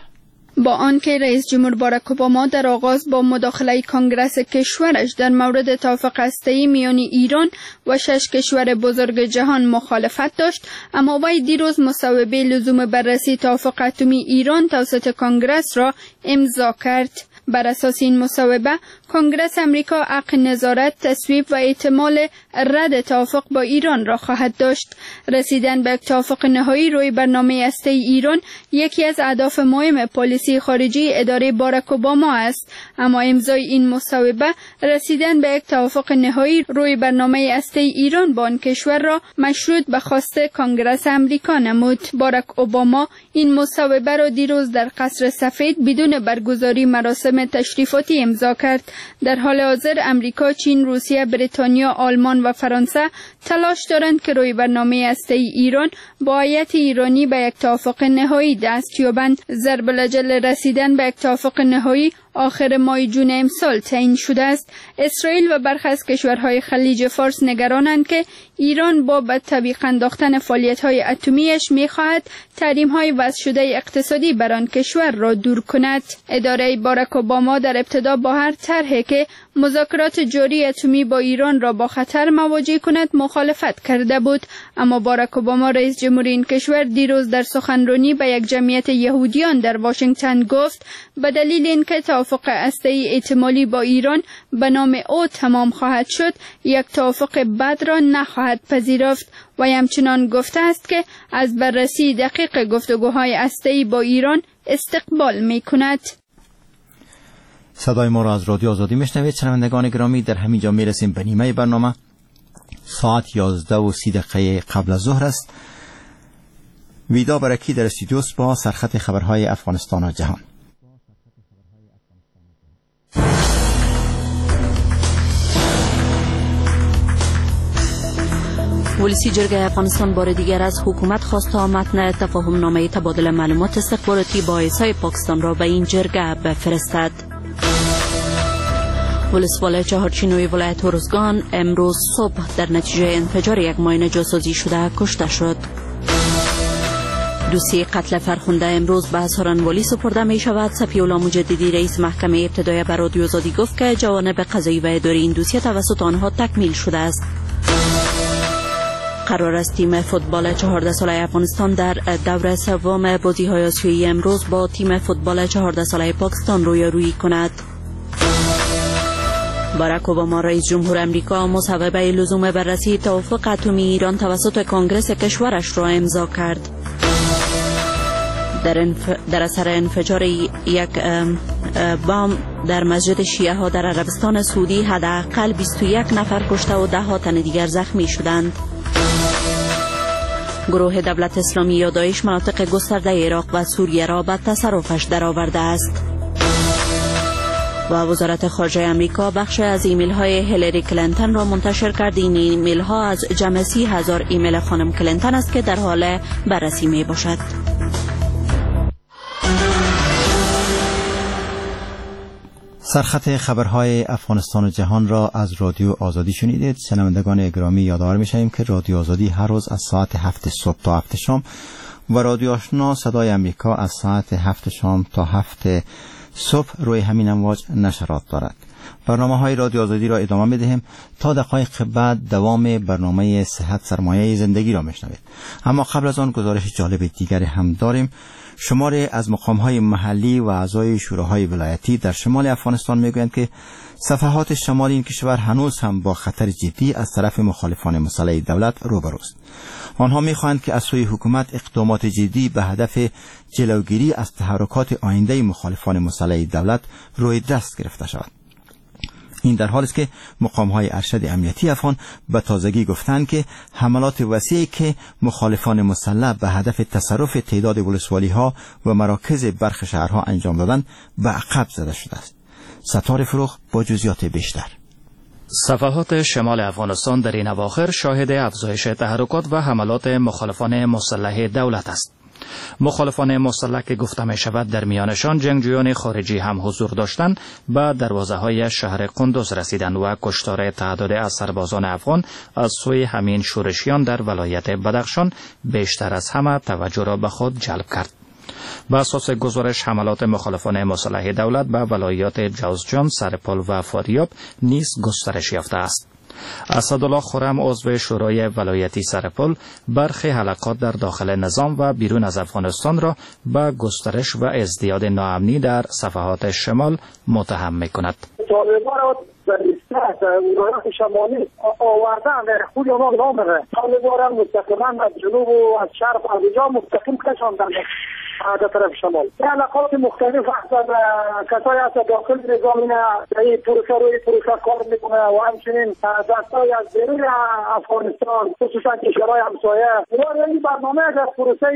Speaker 7: با آنکه رئیس جمهور باراک اوباما در آغاز با مداخله کانگرس کشورش در مورد توافق هسته‌ای میان ایران و شش کشور بزرگ جهان مخالفت داشت، اما وی دیروز مصوبه لزوم بررسی توافق اتمی ایران توسط کانگرس را امضا کرد. بر اساس این مصوبه کانگرس امریکا حق نظارت، تصویب و احتمال رد توافق با ایران را خواهد داشت. رسیدن به توافق نهایی روی برنامه هسته‌ای ایران یکی از اهداف مهم پالیسی خارجی اداره باراک اوباما است، اما امضای این مصوبه رسیدن به یک توافق نهایی روی برنامه هسته‌ای ایران با آن کشور را مشروط به خواست کانگرس امریکا نمود. باراک اوباما این مصوبه را دیروز در قصر سفید بدون برگزاری مراسم تشریفاتی امضا کرد. در حال حاضر امریکا، چین، روسیه، بریتانیا، آلمان و فرانسه تلاش دارند که روی برنامه هسته‌ای ایران با هیئت ایرانی به یک توافق نهایی دست یابند. ضرب الاجل رسیدن به یک توافق نهایی آخر ماه جون امسال تعیین شده است. اسرائیل و برخی از کشورهای خلیج فارس نگرانند که ایران با به تعویق انداختن فعالیت‌های اتمیش می‌خواهد تحریم‌های وضع شده اقتصادی بر آن کشور را دور کند. اداره باراک اوباما در ابتدا با هر طرحی که مذاکرات جاری اتمی با ایران را با خطر مواجه کند مخالفت کرده بود، اما باراک اوباما رئیس جمهور این کشور دیروز در سخنرانی به یک جمعیت یهودیان در واشنگتن گفت به دلیل اینکه توافق هسته‌ای احتمالی با ایران به نام او تمام خواهد شد، یک توافق بد را نخواهد پذیرفت و همچنان گفته است که از بررسی دقیق گفتگوهای هسته‌ای با ایران استقبال می‌کند.
Speaker 1: صدای ما را از رادیو آزادی میشنوید. شنوندگان گرامی، در همین جا میرسیم به نیمه برنامه. ساعت یازده و سی دقیقه قبل از ظهر است. ویدا برکی در استودیوس با سرخط خبرهای افغانستان و جهان.
Speaker 2: ولسی جرگه افغانستان بار دیگر از حکومت خواست تا متن تفاهم نامه تبادل معلومات استخباراتی با آی‌اس‌آی پاکستان را به این جرگه بفرستد. ولسوال چهارچینوی ولایت هرزگان امروز صبح در نتیجه انفجار یک ماین جاسازی شده کشته شد. دوسیه قتل فرخنده امروز به سارنوالی سپرده می شود. صفی‌الله مجددی رئیس محکمه ابتدایی بر رادیو آزادی گفت که جوانب قضایی و اداری این دوسیه توسط آنها تکمیل شده است. قرار است تیم فوتبال چهارده ساله افغانستان در دور سوم بازی‌های آسیایی امروز با تیم فوتبال چهارده ساله پاکستان رویارویی کند. باراک اوباما رئیس جمهور امریکا مصوبه لزوم بررسی توافق اتمی ایران توسط کنگرس کشورش را امضا کرد. در, انف... در اثر انفجار یک بم در مسجد شیعه ها در عربستان سعودی حداقل بیست و یک نفر کشته و ده ها تن دیگر زخمی شدند. گروه دولت اسلامی یا داعش مناطق گسترده عراق و سوریه را به تصرفش درآورده است. و وزارت خارجه امریکا بخش از ایمیل های هیلاری کلینتون را منتشر کرد. این ایمیل ها از جمع سی هزار ایمیل خانم کلینتون است که در حال بررسی می باشد.
Speaker 1: سرخط خبرهای افغانستان و جهان را از رادیو آزادی شنیدید. شنوندگان گرامی، یادآور می‌شویم که رادیو آزادی هر روز از ساعت هفت صبح تا هفت شام و رادیو آشنا صدای امریکا از ساعت هفت شام تا هفت صبح روی همین امواج نشرات دارد. برنامه های رادیو آزادی را ادامه می‌دهیم تا دقایق بعد دوام برنامه صحت سرمایه زندگی را می‌شنوید. اما قبل از آن گزارش جالب دیگری هم داریم. شماری از مقام‌های محلی و اعضای شوراهای ولایتی در شمال افغانستان می‌گویند که صفحات شمال این کشور هنوز هم با خطر جدی از طرف مخالفان مسلح دولت روبروست. آنها می‌خواهند که از سوی حکومت اقدامات جدی به هدف جلوگیری از تحرکات آینده مخالفان مسلح دولت روی دست گرفته شود. این در حالی است که مقام‌های ارشد امنیتی افغان به تازگی گفتند که حملات وسیعی که مخالفان مسلح به هدف تصرف تعداد ولسوالی‌ها و مراکز برخی شهرها انجام دادند به عقب زده شده است. ستار فروخ با جزئیات بیشتر.
Speaker 16: صفحات شمال افغانستان در این اواخر شاهد افزایش تحرکات و حملات مخالفان مسلح دولت است. مخالفان مسلح که گفته می شود در میانشان جنگجویان خارجی هم حضور داشتند به دروازه های شهر قندوز رسیدند و کشتار تعداد از سربازان افغان از سوی همین شورشیان در ولایت بدخشان بیشتر از همه توجه را به خود جلب کرد. به اساس گزارش حملات مخالفان مسلح دولت به ولایات جوزجان، سرپل و فاریاب نیز گسترش یافته است. اسدالله خرم عضو شورای ولایتی سرپل برخی حلقات در داخل نظام و بیرون از افغانستان را به گسترش و ازدیاد ناامنی در صفحات شمال متهم می‌کند.
Speaker 19: طالبان را در ولایات شمالی آوردن در خود آنها نامره. طالبان را مستقیما از جنوب و از شرق از جا مستقیم کشاندند در طرف شمال. علاقات مختلف هستند، کسایی هست داخل نظام این پروسه روی پروسه کار میکنه و همچنین دستای از بیرون افغانستان خصوصا کشورهای همسایه. این برنامه در پروسه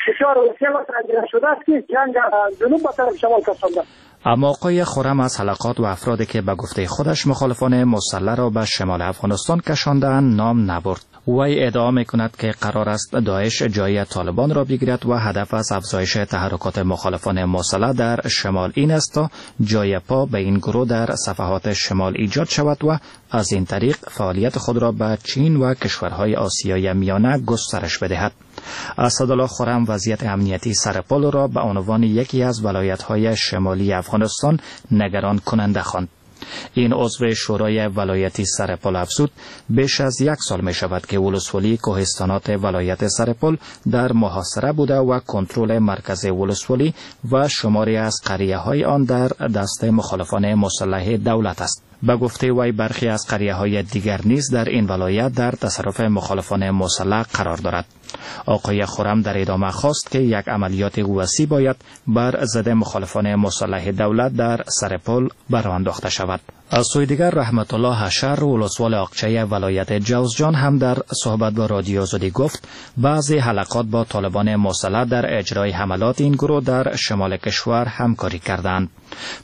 Speaker 19: بسیار وسیع و تنظیم شده است که جنگ جنوب به طرف شمال کشانده.
Speaker 16: اما آقای خرم از حلقات و افرادی که به گفته خودش مخالفان مسلح را به شمال افغانستان کشانده‌اند نام نبرد. وی ادعا می‌کند که قرار است داعش جای طالبان را بگیرد و هدف از افزایش افزایش تحرکات مخالفان مسلح در شمال این است تا جای پا به این گروه در صفحات شمال ایجاد شود و از این طریق فعالیت خود را به چین و کشورهای آسیای میانه گسترش بدهد. اسدالله خرم وضعیت امنیتی سرپل را به عنوان یکی از ولایت‌های شمالی افغانستان نگران کننده خواند. این عضو شورای ولایتی سرپل افزود بیش از یک سال می شود که ولسوالی کوهستانات ولایت سرپل در محاصره بوده و کنترل مرکز ولسوالی و شماری از قریه های آن در دست مخالفان مسلح دولت است. به گفته وی برخی از قریه های دیگر نیز در این ولایت در تصرف مخالفان مسلح قرار دارد. آقای خرم در ادامه خواست که یک عملیات وسیع باید بر ضد مخالفان مسلح دولت در سرپل براه انداخته شود. از سوی دیگر رحمت الله حشر ولسوال آقچه ولایت جوزجان هم در صحبت با رادیو آزادی گفت بعضی حلقات با طالبان مسلح در اجرای حملات این گروه در شمال کشور همکاری کردند.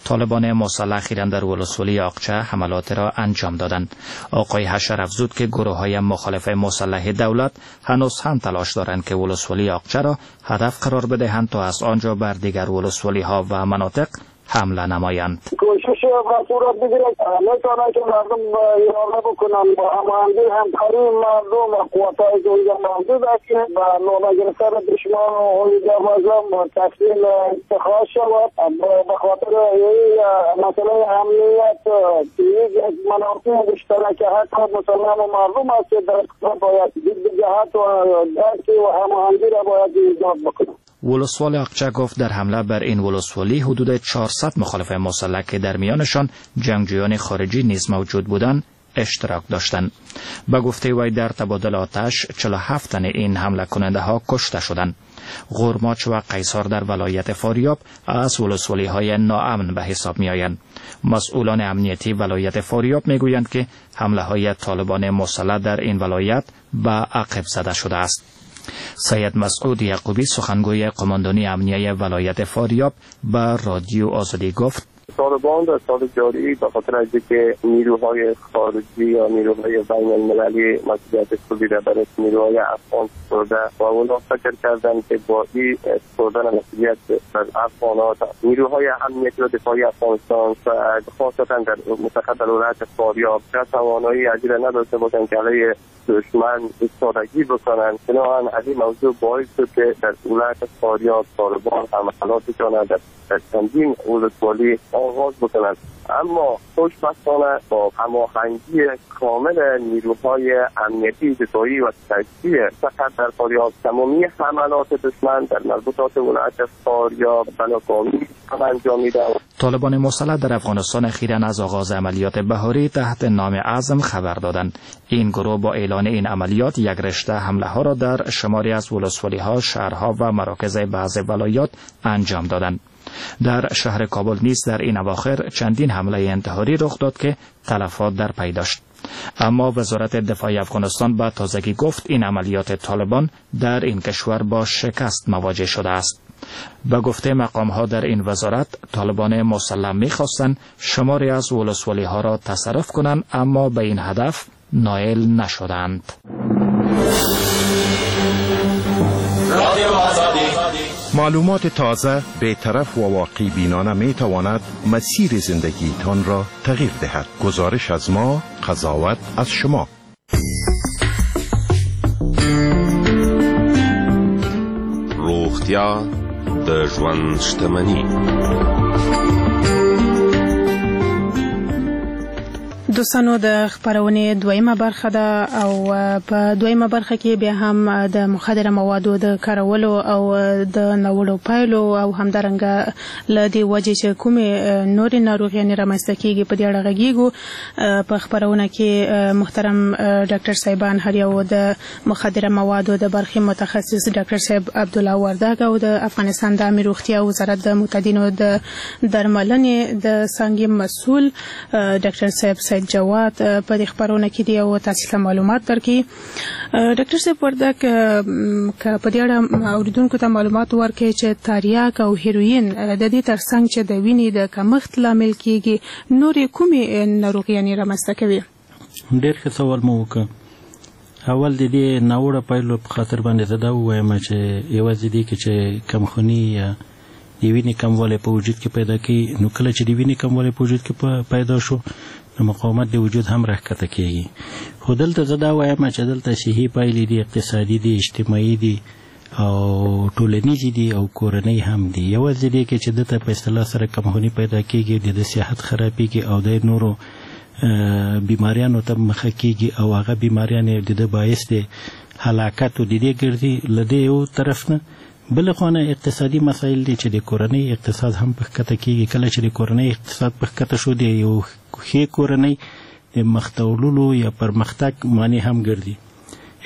Speaker 16: طالبان مسلح اخیراً در ولسوالی آقچه حملات را انجام دادند. آقای حشر افزود که گروه‌های مخالف مسلح دولت هنوز هم تلاش دارند که ولسوالی آقچه را هدف قرار بدهند تا از آنجا بر دیگر ولسوالی‌ها و مناطق حمله نمایند.
Speaker 19: کوشش و صورت بگیرد میتونه که مردم یارانه بکنن با هماهنگی همکاری مردم و قوتهای که اونجا موجود است که به لانه گرفتن دشمن و هویجا تسلیم اتخاذ شود. به خاطر مسئله امنیت یک مناطق مشترک حتی مسلمان و مردم است که در باید ضد جهت و درک و هماهنگی را باید ایجاد بکنند.
Speaker 16: ولسوال آقچه گفت در حمله بر این ولسوالی حدود چهارصد مخالف مسلح که در میانشان جنگجویان خارجی نیز موجود بودند اشتراک داشتند. به گفته وی در تبادل آتش چهل و هفت تن این حمله کننده ها کشته شدند. غورماچ و قیصار در ولایت فاریاب از ولسوالی های ناامن به حساب می آیند. مسئولان امنیتی ولایت فاریاب می گویند که حمله های طالبان مسلح در این ولایت به عقب زده شده است. سید مسعود یعقوبی سخنگوی قماندانی امنیه ولایت فاریاب به رادیو آزادی گفت
Speaker 4: طالبان در سال جاری به خاطر از اینکه نیروهای خارجی یا نیروهای بین المللی مسئولیت کلی را برای نیروهای افغان سپرده و اونا فکر کردند که با این سپردن مسئولیت بر افغان‌ها نیروهای امنیتی و دفاعی افغانستان و خاصتا در متخصص در ولایت فاریاب توانایی از این نداشته باشند که علیه دشمن ایستادگی بکنند. بنابراین از این موضوع باعث شد که در ولایت فاریاب طالبان حملاتشان در چندین ولسوالی آغاز بکنند. اما خوشبختانه با هماهنگی کامل نیروهای امنیتی دفاعی و تجزیه فقط در فاریاب تمامی حملات دشمن در مربوطات ولایت فاریاب بناگامی انجام می‌دهند.
Speaker 16: طالبان مسلح در افغانستان اخیراً از آغاز عملیات بهاری تحت نام عزم خبر دادند. این گروه با اعلان این عملیات یک رشته حمله ها را در شماری از ولسوالی‌ها، شهرها و مراکز بعض ولایات انجام دادند. در شهر کابل نیز در این اواخر چندین حمله انتحاری رخ داد که تلفات در پی داشت. اما وزارت دفاع افغانستان به تازگی گفت این عملیات طالبان در این کشور با شکست مواجه شده است. به گفته مقام ها در این وزارت طالبان مسلح می‌خواستند شماری از ولسوالی ها را تصرف کنند، اما به این هدف نائل نشدند.
Speaker 9: معلومات تازه، بی‌طرف و واقع بینانه می تواند مسیر زندگیتان را تغییر دهد. گزارش از ما، قضاوت از شما.
Speaker 20: روغتیا د ژوند شتمني.
Speaker 21: دوستانو د خبرونې دویمه برخه ده او په دویمه برخه کې بیا هم د مخدره موادو د کارولو او د ناوړو پایلو او همدارنګه له دې وجې چې کومې نورې ناروغیانې رامنځته کیږي په دې اړه غږیږو. په خبرونه کې محترم ډاکټر صاحبان هر یو د مخدره موادو د برخې متخصص ډاکټر صاحب عبدالله وردګ او د افغانستان د عامې روغتیا وزارت د معتادینو د درملنې د څانګې مسؤل ډاکټر صاحب سید جواد په دې خبرونه کې دی او تاسو ته معلومات درکړي. ډاکټر صاحب وردګ، که په دې اړه اوریدونکو ته معلومات ورکړي چې تاریاک او هیروین د دې ترڅنګ چې د وینې د کمښت لامل کیږي نورې کومې ناروغیانې رامنځته کوي؟
Speaker 22: ډېر ښه سوال مو وکړ.
Speaker 6: اول د دې ناوړه پایلو په خاطر باندې زه دا ووایم چې یوازې دې کې چې کمخوني یا د وینې کموالی په وجود کې پیدا کوي، نو کله چې د وینې کموالی په وجود کې پیدا شو نو مقاومت د وجود هم راښکته کېږي. خو دلته زه دا وایم چې دلته صحي پایلې دي، اقتصادي دي، اجتماعي دي او ټولنیزې دي او کورنۍ هم دي. یوازې دې کې چې دته په اصطلاح سره کمخوني پیدا کېږي، د ده صحت خرابېږي او د نورو بیماریانو ته مخه کېږي او هغه بیماریان د ده باعث د هلاکت او د دې ګرځي. له دې یو طرف نه بله خوا نه اقتصادي مسایل دي چې د کورنۍ اقتصاد هم په ښکته کېږي. کله چې د کورنۍ اقتصاد په ښکته شو، د یو ښې کورنۍ د مخته وړلو یا پرمختګ معنی هم ګرځي.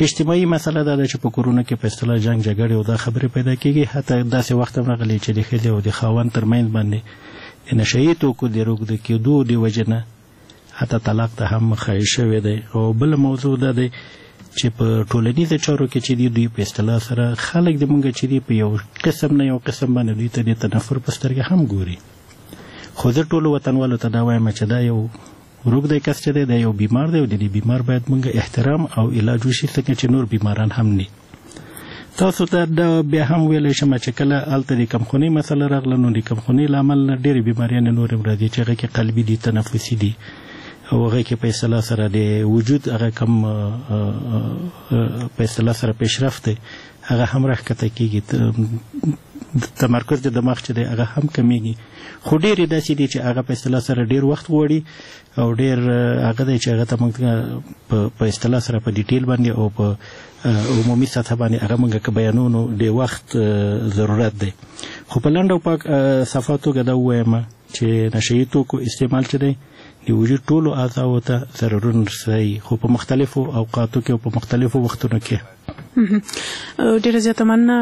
Speaker 6: اجتماعي مسله دا ده چې په کورونو کې په اصطلاح جنګ جګړې او دا خبرې پیدا کېږي. حتی داسې وخت هم راغلی چې د ښځې او د خاوند ترمنځ باندې د نشه یي توکو د روږدي کېدو د وجې نه حتی طلاق ته هم مخه شوې دی. او بله موضوع دا دی چې په ټولنیزو چارو کې چې دي دوی په اصطلاح سره خلک د مونږ چې دي په یو قسم نه یو قسم باندې دوی ته د تنفر په سترګه هم ګوري. خو زه ټولو وطنوالو ته دا وایم چې دا یو روږدی کس چې دی دا یو بیمار دی او د دې بیمار باید مونږ احترام او علاج وشي، څنګه چې نور بیماران هم نه. تاسو ته دا بیا هم ویلی شم چې کله هلته د کمخونۍ مسله راغله نو د کمخونۍ له امله نه ډېرې بیماریانې نورې هم راځي چې هغه کې قلبي دي، تنفسي دي او هغه کې په اصطلاح سره د وجود هغه کم په اصطلاح سره پیشرفت دی هغه هم راښکته کېږي، تمرکز د دماغ چې دی هغه هم کمیږي. خو ډېرې داسې دي چې هغه په اصطلاح سره ډېر وخت غواړي او ډېر هغه دی چې هغه ته موږ په اصطلاح سره په ډیټیل باندې او په عمومي سطح باندې هغه موږ که بیانو نو د وخت ضرورت دی. خو په لنډه او پاک صفا توګه دا ووایم چې نشه یي توکو استعمال چې دی د وجود ټولو اعضاو ته ضررونه رسوي، خو په مختلفو اوقاتو کې او په مختلفو وختونو کې.
Speaker 21: ډېره زیاته مننه.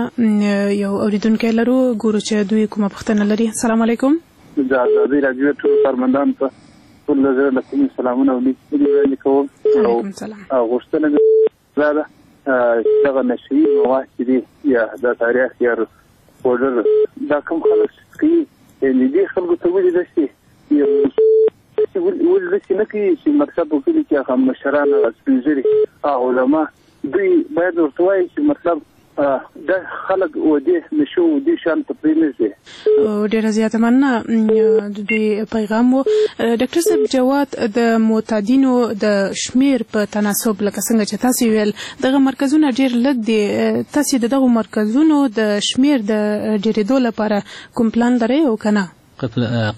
Speaker 21: یو اورېدونکی لرو، ګورو چې دوی کومه پوښتنه لري. السلام علیکم.
Speaker 22: د ازادي راډیو ټولو کارمندانو ته ټول له زړه له کومې سلامونه او نیکې هیلې وړاندې کوم.
Speaker 21: علیکم سلام.
Speaker 22: غوښتنه مې دا ده چې دغه نشه یي مواد چې دي یا د تاریخ یا پوډر دا کوم خلک چې څکوي، یعنې دې خلکو ته ولې داسې ولې داسې نه کوي چې مطلب په کلي کې هغه مشران، هغه سپین ږیري، هغه علما دوی باید ورته ووایي چې مطلب دا خلک و دې نشو و دې شان ته پرې نه ږدي.
Speaker 21: ډېره زیاته مننه د دوی پیغام و. ډاکټر صاحب جواد، د معتادینو د شمیر په تناسب لکه څنګه چې تاسې ویل دغه مرکزونه ډېر لږ دي، تاسې د دغو مرکزونو د شمیر د ډېرېدو لپاره کوم پلان لرئ او که نه؟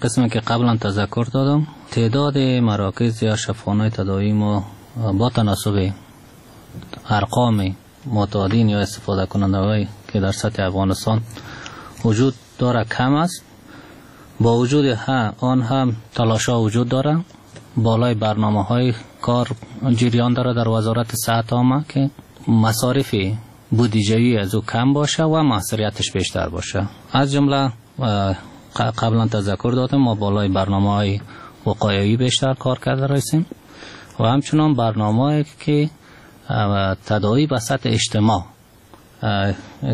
Speaker 23: قسمی که قبلا تذکر دادم، تعداد مراکز یا شفاخانه‌های تداوی ما با تناسب ارقام معتادین یا استفاده کننده که در سطح افغانستان وجود داره کم است. با وجود آن هم تلاش‌ها وجود داره، بالای برنامه های کار جریان داره در وزارت صحت عامه که مصارف بودجوی از او کم باشه و موثریتش بیشتر باشه. از جمله قبلا تذکر دادم ما بالای برنامه های وقایعی بیشتر کار کرده رسیم و همچنان برنامه که تداوی به سطح اجتماع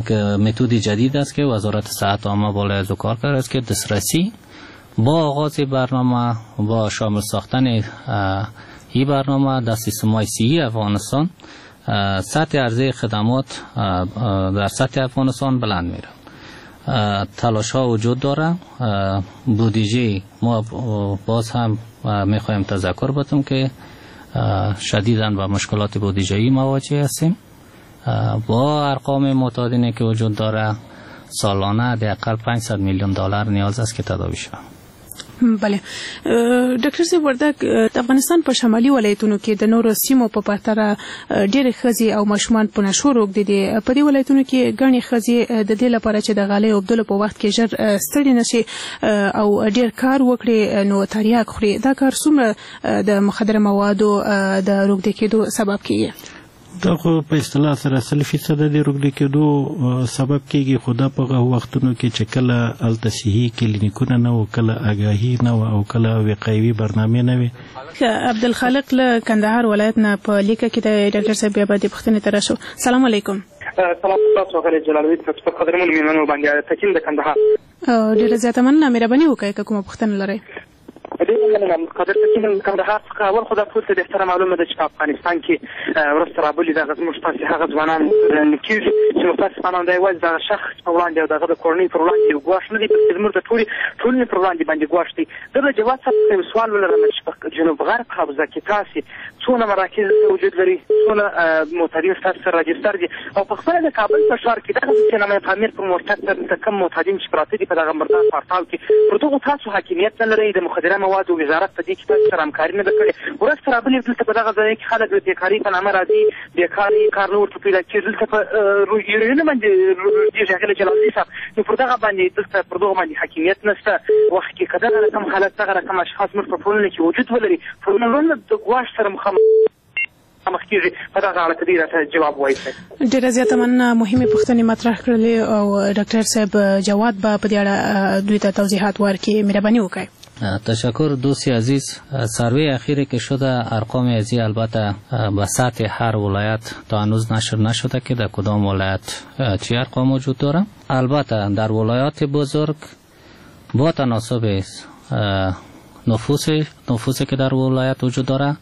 Speaker 23: که متد جدید است که وزارت صحت عامه بالای از او کار کرده است که دسترسی با آغاز برنامه با شامل ساختن این برنامه در سیستم های صحی افغانستان سطح عرضه خدمات در سطح افغانستان بلند میره. تلاش ها وجود داره. بودجه ما باز هم میخوایم تذکر بدم که شدیداً با مشکلات بودجه‌ای مواجه هستیم. با ارقام معتادینی که وجود داره سالانه حداقل پانصد میلیون دلار نیاز است که تداوی شود.
Speaker 21: بله ډاکټر صاحب وردګ، د افغانستان په شمالي ولایتونو کې د نورو سیمو په پرتله ډېرې ښځې او ماشومان په نشو روږدي دي. په دې ولایتونو کې ګڼې ښځې د دې لپاره چې د غالۍ اوبدلو په وخت کې ژر ستړې نه شي او ډېر کار وکړي نو تریاک خوري. دا کار څومره د مخدره موادو د روږدي کېدو سبب کېږي؟
Speaker 6: دا خو په اصطلاح سره سل فیصده د روږدي کېدو سبب کېږي، خو دا په هغه وختونو کې چې کله هلته صحي کلینیکونه نه وو، کله آګاهي نه وه او کله وقایوي برنامې نه وې.
Speaker 21: عبدالخالق له کندهار ولایت نه په لیکه کې دی. ډاکټر صاحب بیا به دې پوښتنې ته راشو. سلام علیکم.
Speaker 24: سلام تاسو ښاغلی جلالوي صاحب، ستاسو قدرمنو مېلمنو باندې تکین د کندهار.
Speaker 21: ډېره زیاته مننه، مهرباني وکړئ که کومه پوښتنه لرئ.
Speaker 24: ډېره مننه قادر صاحب. کندهار څخه اول خو دا ټول ته بهتره معلومه ده چې په افغانستان کې ورځ تر بلې دغه زموږ ستاسې هغه ځوانان کېږي چې متاسفانه دا یوازې دغه شخص په وړاندې او د هغه د کورنۍ پر وړاندې یو ګواښ نه دی، بلکې زموږ د ټولې ټولنې پر وړاندې باندې ګواښ دی. زه له جواد صاحب څخه یو سوال ولرم چې په جنوب غرب حوزه کې تاسې څونه مراکز وجود لري، څونه معتادین ستاسو سره راجستر دي، او په خپله د کابل په ښار کې دغه چې نامه پامیر پر مرتد ته کوم معتادین چې پراته دي په دغه مردار پارتاو کې، پر دغو تاسو حاکمیت نه لرئ؟ د مخدره موادو وزارت په دې کې تاسو سره همکاري نه ده کړې. ورځ تر بلې دلته په دغه ځای کې خلک د بېکارۍ په نامه راځي، بېکاري کار نه ورته پیدا کېږي. دلته په یورینونه باندې روږدېږي ښاغلی جلالزي صاحب، نو پر دغه باندې دلته پر دغو باندې حاکمیت نشته. وخت کې که دغه رقم حالت دغه رقم اشخاص موږ په ټولنه کې وجود ولري، ټولنه د ګواښ سره مخامخ کېږي. په دغه اړه که دی راته جواب ووایي.
Speaker 21: ډېره زیاته مننه، مهمې پوښتنې مطرح کړلې او ډاکټر صاحب جواد به په دې اړه دوی ته توضیحات ورکړي. مهرباني وکړئ.
Speaker 23: تشکر دوست عزیز. سروی اخیری که شده ارقام ازی البته به سطح هر ولایت تا هنوز نشر نشده که در کدام ولایت چی ارقام وجود داره. البته در ولایات بزرگ با تناسب نفوس نفوسی که در ولایت وجود داره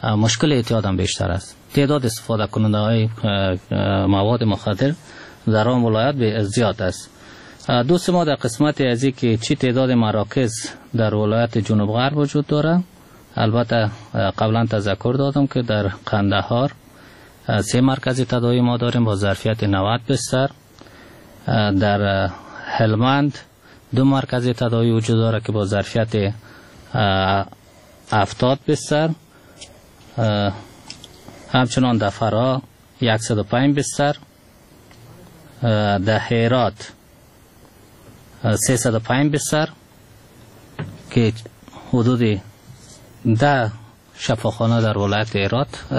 Speaker 23: مشکل اعتیاد هم بیشتر است. تعداد استفاده کننده های مواد مخدر در آن ولایت زیاد است. دوست ما در قسمت ازی که چی تعداد مراکز در ولایت جنوب غرب وجود داره، البته قبلا تذکر دادم که در قندهار سه مرکز تداوی ما داریم با ظرفیت نود بستر، در هلمند دو مرکز تداوی وجود داره که با ظرفیت هفتاد بستر، همچنان در فراه صد و پنج بستر، در هرات سیصد و پنج بستر که حدود ده شفاخانه در ولایت هرات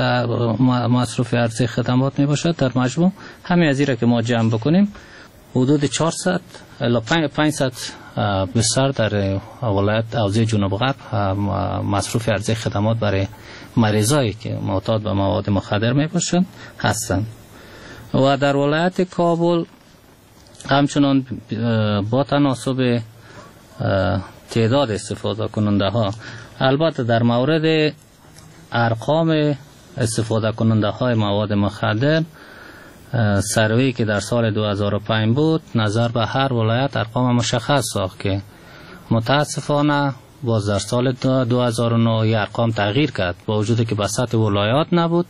Speaker 23: مصروف عرضه خدمات می باشد. در مجموع همه از را که ما جمع بکنیم حدود چهارصد الی پانصد بستر در ولایت حوزه جنوب غرب مصروف عرضه خدمات برای مریضایی که معتاد به مواد مخدر می باشند هستند. و در ولایت کابل همچنان با تناسب تعداد استفاده کننده ها، البته در مورد ارقام استفاده کننده های مواد مخدر سروی که در سال دو هزار و پنج بود نظر به هر ولایت ارقام مشخص ساخت که متاسفانه باز در سال دو هزار و نه ارقام تغییر کرد. با وجود که به سطح ولایات نبود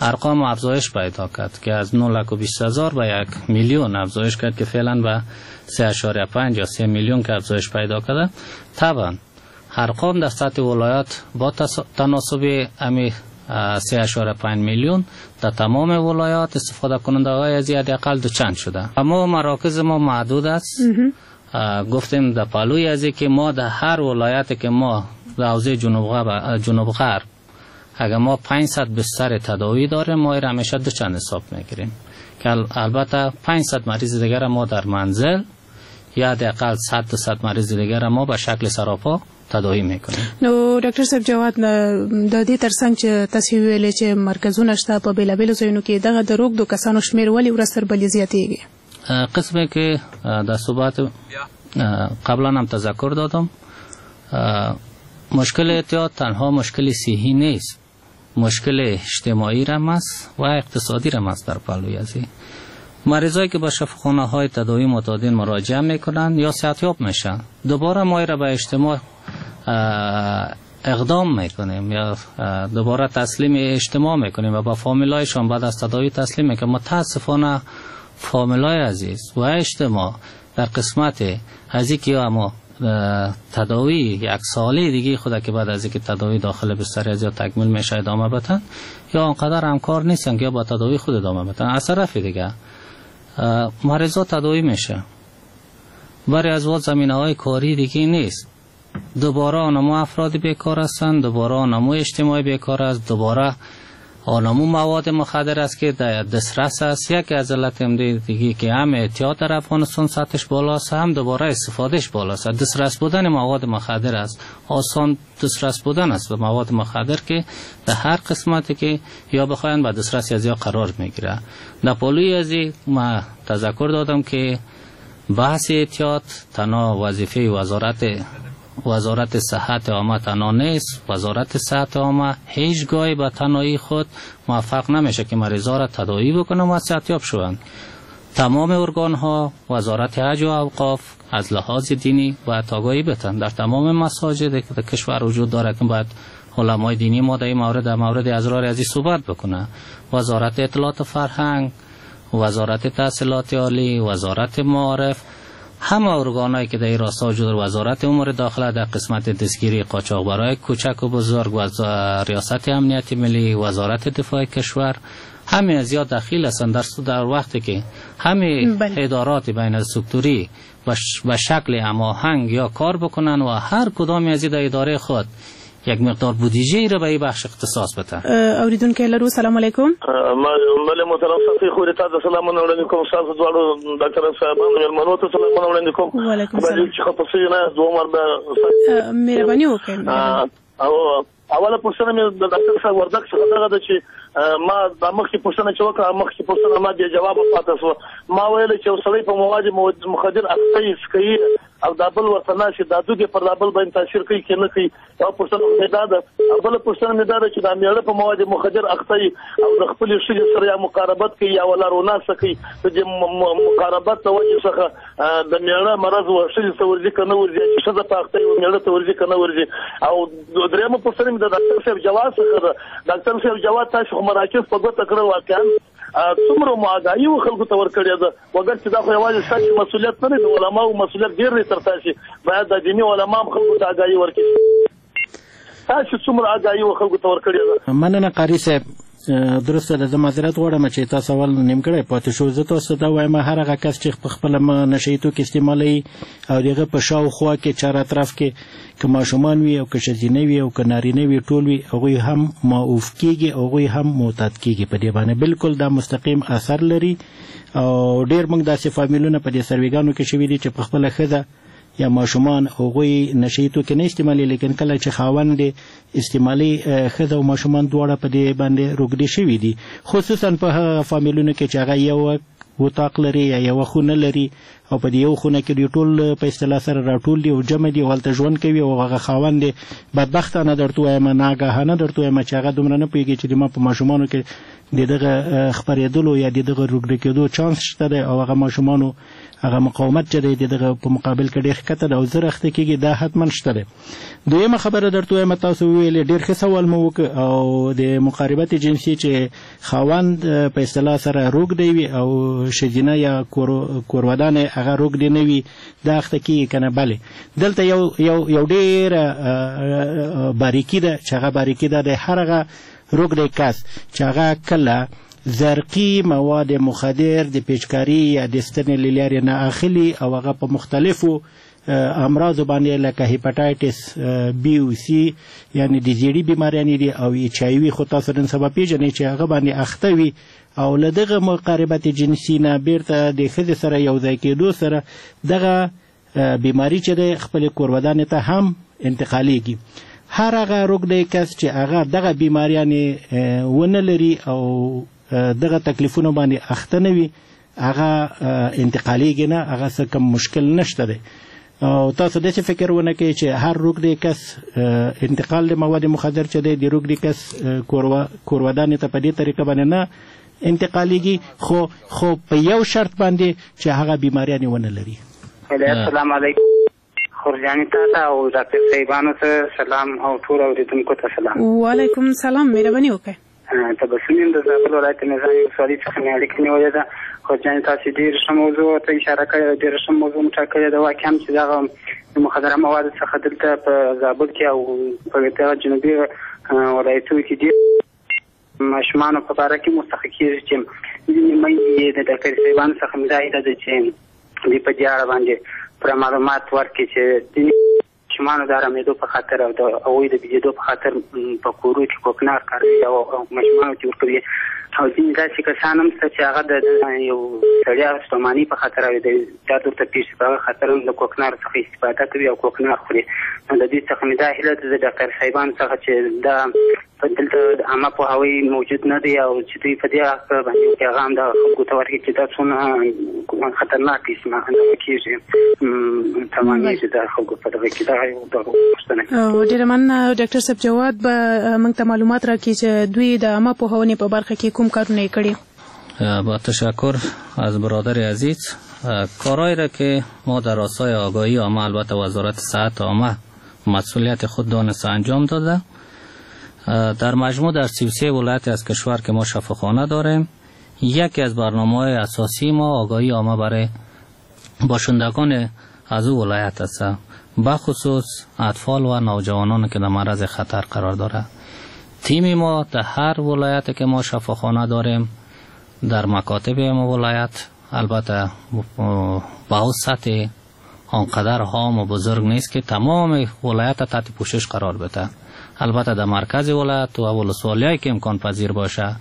Speaker 23: ارقام افزایش پیدا کرد که از نه لک و بیست هزار به یک میلیون افزایش کرد که فعلا به سه اعشاریه پنج یا سه میلیون که افزایش پیدا کرده. طبعا ارقام در سطح ولایات با تناسب امی سه اعشاریه پنج میلیون در تمام ولایات استفاده کننده های از حداقل دو چند شده. اما مراکز ما محدود است. گفتیم در پالوی از که ما در هر ولایت که ما در حوزه جنوب غرب جنوب غرب اگر ما پانصد بستر تداوی داریم ما را همیشه دو چند حساب میگیریم که البته پانصد مریض دیگر ما در منزل یا حداقل صد تا صد مریض دیگر ما به شکل سراپا تداوی میکنیم.
Speaker 21: نو ډاکټر صاحب جواد، د دې ترڅنګ چې تاسو ویلې چې مرکزونه شته په بېلابېلو ځایونو کې، دغه د روږدو کسانو شمېر ولې ورځ تر بلې زیاتېږي؟
Speaker 23: قسمی که در صحبت قبلا هم تذکر دادم، مشکل اعتیاد تنها مشکل صحی نیست، مشکل اجتماعی رم است و اقتصادی رم است. در پهلوی از این مریضایی که با شفاخانه های تداوی معتادین مراجعه میکنن یا صحتیاب میشن، دوباره ما را به اجتماع اقدام میکنیم یا دوباره تسلیم اجتماع میکنیم و با فامیلایشان بعد از تداوی تسلیم میکنیم. متاسفانه فامیلای عزیز و اجتماع در قسمت از اینکه یا ما تداوی یک ساله دیگه خود که بعد از اینکه تداوی داخل بستر از یا تکمیل میشه ادامه بدن، یا آنقدر همکار نیستن که یا با تداوی خود ادامه بدن. از طرف دیگه مریضا تداوی میشه، برای از واد زمینه های کاری دیگه نیست، دوباره آنمو افراد بیکار هستند، دوباره آنمو اجتماعی بیکار است، دوباره آنمو مواد مخدر است که در دسترس است. یکی از علت دیگه که هم اعتیاد در افغانستان سطحش بالاست، هم دوباره استفادهش بالاست. دسترس بودن مواد مخدر است، آسان دسترس بودن است به مواد مخدر که در هر قسمتی که یا بخواین به دسترس از یا قرار میگیره. در پالوی از ما تذکر دادم که بحث اعتیاد تنها وظیفه وزارت وزارت صحت عامه تنها نیست. وزارت صحت عامه هیچگاهی به تنهایی خود موفق نمیشه که مریضا را تداوی بکنه و صحتیاب شوند. تمام ارگان ها، وزارت حج و اوقاف از لحاظ دینی باید آگاهی بدن. در تمام مساجد که در کشور وجود داره که باید علمای دینی ما در این مورد در مورد اضرار از این صحبت بکنه. وزارت اطلاعات و فرهنگ، وزارت تحصیلات عالی، وزارت معارف، همه ارگان‌هایی که در این راستا وجود داره، وزارت امور داخله در قسمت دستگیری قاچاقبرای کوچک و بزرگ، ریاست امنیت ملی، وزارت دفاع کشور، همه زیاد دخیل هستند. در در وقتی که همه بله. ادارات بین سکتوری به شکل هماهنگ یا کار بکنن و هر کدام از در اداره خود یک مقدار بودجه را به این بخش اختصاص بدن.
Speaker 21: اوریدونکی لرو، سلام علیکم.
Speaker 3: بله محترم صفی خوري تاسو سلامونه وړاندې کوم، تاسو دواړو ډاکټر صاحبانو مېلمنو ته سلامونه وړاندې کوم.
Speaker 21: وعلیکم سلام.
Speaker 3: چې خپه شوي نه دوه مرده
Speaker 21: مهرباني وکړئ.
Speaker 3: او اوله پوښتنه مې د ډاکټر صاحب وردک څخه دغه ده چې ما د مخکې پوښتنه چې وکړه، مخکې پوښتنه ما بې جوابه پاتې شوه. ما ویل چې یو سړی په مواد مخدر اخته یې څکوي او دا بل ورته ناست دا دود یې پر دا بل باندې تاثیر کوي که نه کوي. یوه پوښتنه مې دا ده. او بله پوښتنه مې دا ده چې دا مېړه په مواد مخدر اخته وي او د خپلې ښځې سره یا مقاربت کوي یا ولا روناسته کوي، د دې مقاربت له وجې څخه د مېړه مرض و ښځې ته ورځي که نه ورځي، چې ښځه په اخته وي مېړه ته ورځي که نه ورځي. او درېیمه پوښتنه مې د ډاکټر صاحب جواد څخه ده. ډاکټر صاحب جواد، تاسو خو مراکز په ګوته کړل، واقعا څومره مو آګاهي و خلکو ته ورکړې ده؟ وګر چې دا خو یوازې ستاسو مسؤلیت نه دی، د علماو مسؤلیت ډېر دی تر تاسې. باید د دیني علما هم خلکو ته آګاهي ورکړي. تاسو څومره آګاهي و خلکو ته ورکړې ده؟
Speaker 6: مننه قاري صاحب. درسته ده، زه معذرت غواړم چې تاسو اول نیمګړی پاتې شو. زه تاسو ته وایم هر هغه کس چې په خپله نشه یي توکي استعمالوي او د هغه په شاوخوا کې چار اطراف کې که ماشومان وي او که ښځینه وي او که نارینه وي ټول وي، هغوی هم ماوف کېږي، هغوی هم معتاد کېږي په دې باندې. بالکل دا مستقیم اثر لري. او ډېر موږ داسې فامیلونه په دې سرویګانو کې شوي دي چې په خپله ښځه یا ماشومان هغوی نشه یي توکي نه استعمالوي، لیکن کله چې خاوند یې استعمالوي ښځه او ماشومان دواړه په دې باندې روږدي شوي دي. خصوصا په هغه فامیلونو کې چې هغه یو اتاق لري یا یوه خونه لري او په دې یو خونه کې دوی ټول په اصطلاح سره راټول دي او جمع دي او هلته ژوند کوي، او هغه خاوند یې بدبختانه درته وایم، ناګاهانه درته وایم چې هغه دومره نه پوهېږي چې د ما په ماشومانو کې د دغه خپرېدلو یا د دغه روږدي کېدو چانس شته دی، او هغه ماشومانو هغه مقاومت چې دی د دغه په مقابل کې ډېر ښکته ده او زر اخته کېږي، دا حتما شته دی. دویمه خبره درته وایم، تاسو وویلې ډېر ښه سوال مو وکړ، او د مقاربت جنسي چې خاوند په اصطلاح سره روږدی وي او ښځینه یا کورودانې هغه روږدی نه وي، دا اخته کېږي که نه؟ بلې، دلته یو یو یو ډېره باریکي ده چې هغه باریکي ده د هر هغه روږدی کس چې هغه کله زرقي مواد مخدر د پیچکاري یا د ستنې له لارې نه اخلي او هغه په مختلفو امراضو باندې لکه هیپاټایټس بي او سي یعنی د زیړي بیماریانې دي او ایچ آی وي، خو تاسو نن سبا پېژنئ چې هغه باندې اخته وي او له دغه مقاربت جنسي نه بیرته د ښځې سره یو ځای کېدو سره دغه بیماري چې دی خپلې کورودانې ته هم انتقالېږي. هر هغه روږدی کس چې هغه دغه بیماریانې ونه لري او دغه تکلیفونو باندې اخته نه وي، هغه انتقالېږي نه، هغه څه کم مشکل نشته دی. او تاسو داسې فکر ونه کړئ چې هر روږدی کس انتقال د مواد مخدر چې دی د روږدي کس کورودانې ته په دې طریقه باندې نه انتقالېږي، خو خو په یو شرط باندې چې هغه بیماریانې ونه لري.
Speaker 5: السلام علیکم خورجانې تاته او ډاکټر صاحبانو ته سلام او ټولو اورېدونکو ته سلام.
Speaker 21: وعلیکم سلام، مهرباني وکړئ.
Speaker 5: تبسم یم د زابل ولایت نظام ولسوالۍ څخه مې اړیکه نیولې ده. خورجانې تاسې ډېر ښه موضوع ته اشاره کړې ده، ډېره ښه موضوع مو ټاکلې ده. واقعا چې دغه مخدره موادو څخه دلته په زابل کې او په دغه جنوبي ولایتونو کې ډېر ماشومانو په باره کې مستحق کېږي چې ځینې میندې د ډاکټر صاحبانو څخه مې دا هیله ده چې دوی په دې اړه باندې پوره معلومات ورکړي چې ځینې ماشومانو د ارامېدو په خاطر او د هغوی د بیدېدو په خاطر په کورو کې کوکنار کاروي او ماشومانو ته ورکوي، او ځینې داسې کسان هم شته چې هغه د یو سړي ستومانۍ په خاطر او د درد ورته پېښ شي په هغه خاطر هم د کوکنارو څخه استفاده کوي او کوکنار خوري. نو د دوی څخه مې دا هیله ده د ډاکټر صاحبانو څخه چې دا دلته د عامه پوهاوی موجود نه دی او چې دوی په دې اړه باندې یو پیغام د خلکو ته ورکړي چې دا څونه خطرناک دغه کېږي، تمامېږي د خلکو په دغه کې. دغه یو دغه پوښتنه.
Speaker 21: ډېره مننه ډاکټر صاحب جواد به موږ ته معلومات راکړي چې دوی د عامه پوهونې په برخه کې کوم کارونه یې کړي.
Speaker 23: با تشکر از برادر عزیز، کارهایی را که ما در راستای آگاهی عامه البته وزارت صحت عامه مسئولیت خود دانسته انجام داده، در مجموع در سی و سه ولایت از کشور که ما شفاخانه داریم، یکی از برنامه‌های اساسی ما آگاهی عامه برای باشندگان از او ولایت است، بخصوص اطفال و نوجوانان که در معرض خطر قرار داره. تیم ما در هر ولایت که ما شفاخانه داریم، در مکاتب ما ولایت البته به او سطح آنقدر هام و بزرگ نیست که تمام ولایت تحت پوشش قرار بده. البته در مرکز ولایت و ولسوالی‌هایی که امکان پذیر باشه،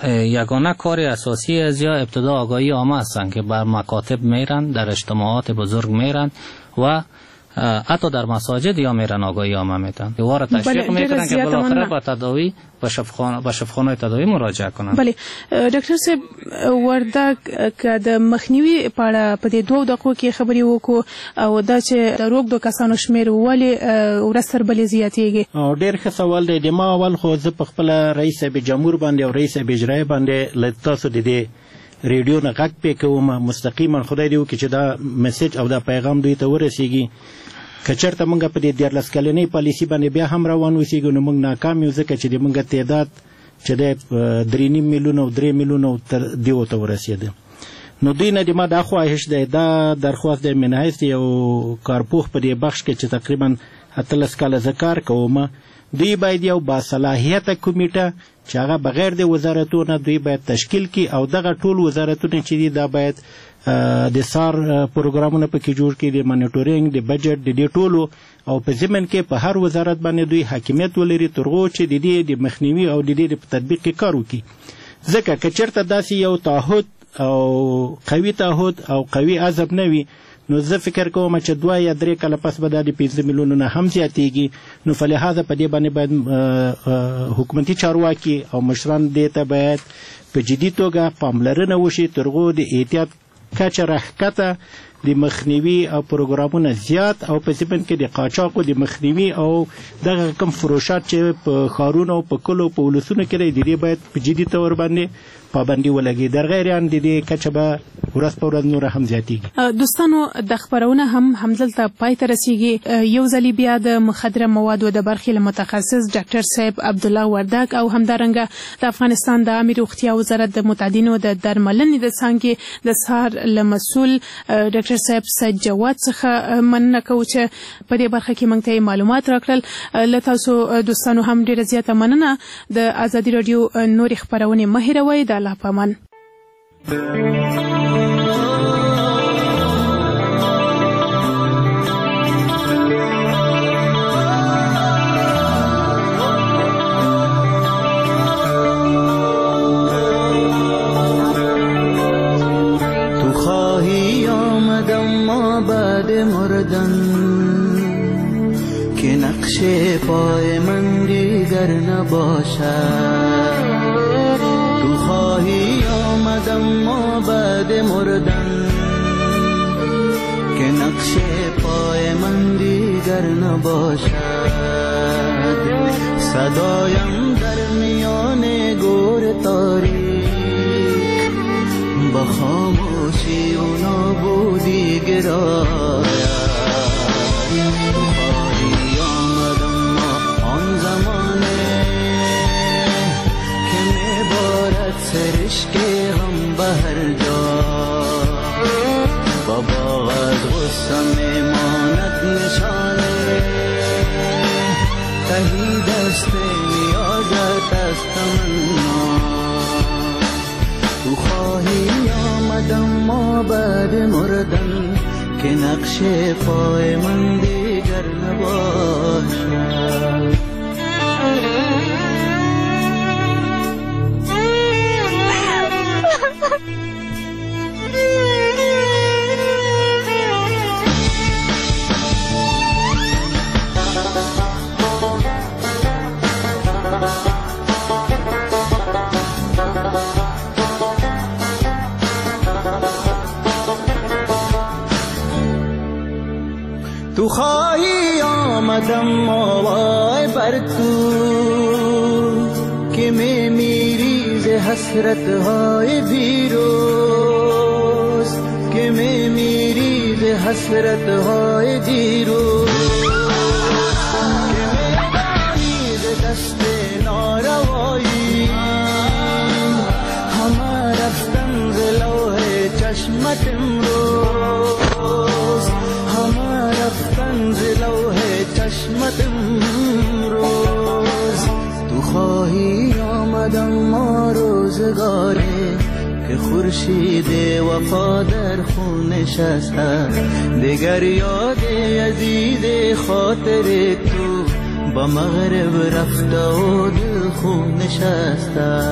Speaker 23: یگانه کار اساسی از یا ابتدا آگاهی عامه هستند که بر مکاتب میرن، در اجتماعات بزرگ میرن و حتی در مساجد یا میرن آگاهی عامه میتن، دوباره تشویق میکنن که بالاخره با تداوی به شفاخانه به شفاخانه تداوی مراجعه کنن.
Speaker 21: بله ډاکټر صاحب وردګ، که د مخنیوي په اړه په دې دوو دقیقو کې خبرې وکړو او دا چې د روږدو کسانو شمېر ولې ورځ تر بلې زیاتېږي؟
Speaker 6: ډېر ښه سوال دی. د ما اول خو زه په خپله رئیس صاحب جمهور باندې او رئیس صاحب اجرایي باندې له تاسو د دې ریډیو نه غږ پې کوم مستقیما، خدای دې وکړي چې دا مسج او دا پیغام دوی ته ورسیږي. که چېرته موږ په دې دیارلس کلنۍ پالیسي باندې بیا هم روان اوسېږو نو موږ ناکام یو، ځکه چې د موږ تعداد چې دی درې نیم میلیونه او درې میلیونه تر دیو ته ورسېده. نو دوی نه د ما دا خواهش دی، دا درخواست دی من حیث یو کارپوه په دې بخش کې چې تقریبا اتلس کاله زه کار کوم، دوی باید یو باصلاحیته کمیټه چې هغه بغیر د وزارتونو دوی باید تشکیل کړي او دغه ټول وزارتونه چې دي دا باید د څار پروګرامونه پکې جوړ کړي، د مانیټورینګ، د بجټ، د دې ټولو، او په ضمن کې په هر وزارت باندې دوی حاکمیت ولري تر هغو چې د دې د مخنیوي او د دې په تطبیق کې کار وکړي. ځکه که چېرته داسې یو تعهد او قوي تعهد او قوي عزم نه وي نو زه فکر کوم چې دوه یا درې کاله پس به دا د پنځه میلیونو نه هم زیاتېږي. نو فلهذا په دې باندې باید حکومتي چارواکي او مشران دې ته باید په جدي توګه پاملرنه وشي تر هغو د احتیاط کچه راښکته، د مخنیوي او پروګرامونه زیات، او په ضمن کې د قاچاقو د مخنیوي او دغه کوم فروشات چې په ښارونو، په کلو، په ولسونو کې دی، د دې باید په جدي تور باندې پابندي ولګي. در غیر آن د دې کچه به ورځ په ورځ نوره هم زیاتېږي.
Speaker 21: دوستانو د خپرونه هم همدلته پای ته رسیږي. یو ځلې بیا د مخدره موادو د برخې له متخصص ډاکټر صاحب عبدالله وردګ او همدارنګه د افغانستان د عامې روغتیا وزارت د معتادینو د درملنې د څانګې د څار له مسؤل ډاکټر صاحب سید جواد څخه مننه کوو چې په دې برخه کې موږ ته یې معلومات راکړل. له تاسو دوستانو هم ډېره زیاته مننه. د ازادي راډیو نورې خپرونې مه هېروئ. د الله په امان.
Speaker 8: تو خواهی آمدم ما بعد مردن که نقش پای من دیگر نباشد. تو خواهی آمدم ما بعد مردن که نقش پای من دیگر نباشد. صدایم در میان گور تاریک با خاموشی و نابودی گراید. تو خواهی آمدم ما آن زمانه که میبارد سرشک غم به هر جا، با باغ از غصه میماند نشانه، تهی دست نیازت از تمنا. تو خواهی آمدم ما بعد مردن که نقش پای من دیگر نباشد. تو خواهی آمدم آوای بر تو که می میری ز حسرت های دیروز، که می میری ز حسرت های دیروز، که می دانی ز دست ناروایی همه رفتن ز لوح چشمت امروز، همه رفتن ز لوح چشمت امروز. تو خواهی آمدم ما روزگاره که خورشید وفا در خون نشسته، دگر یاد عزیز خاطر تو با مغرب رفته و دل خون نشسته.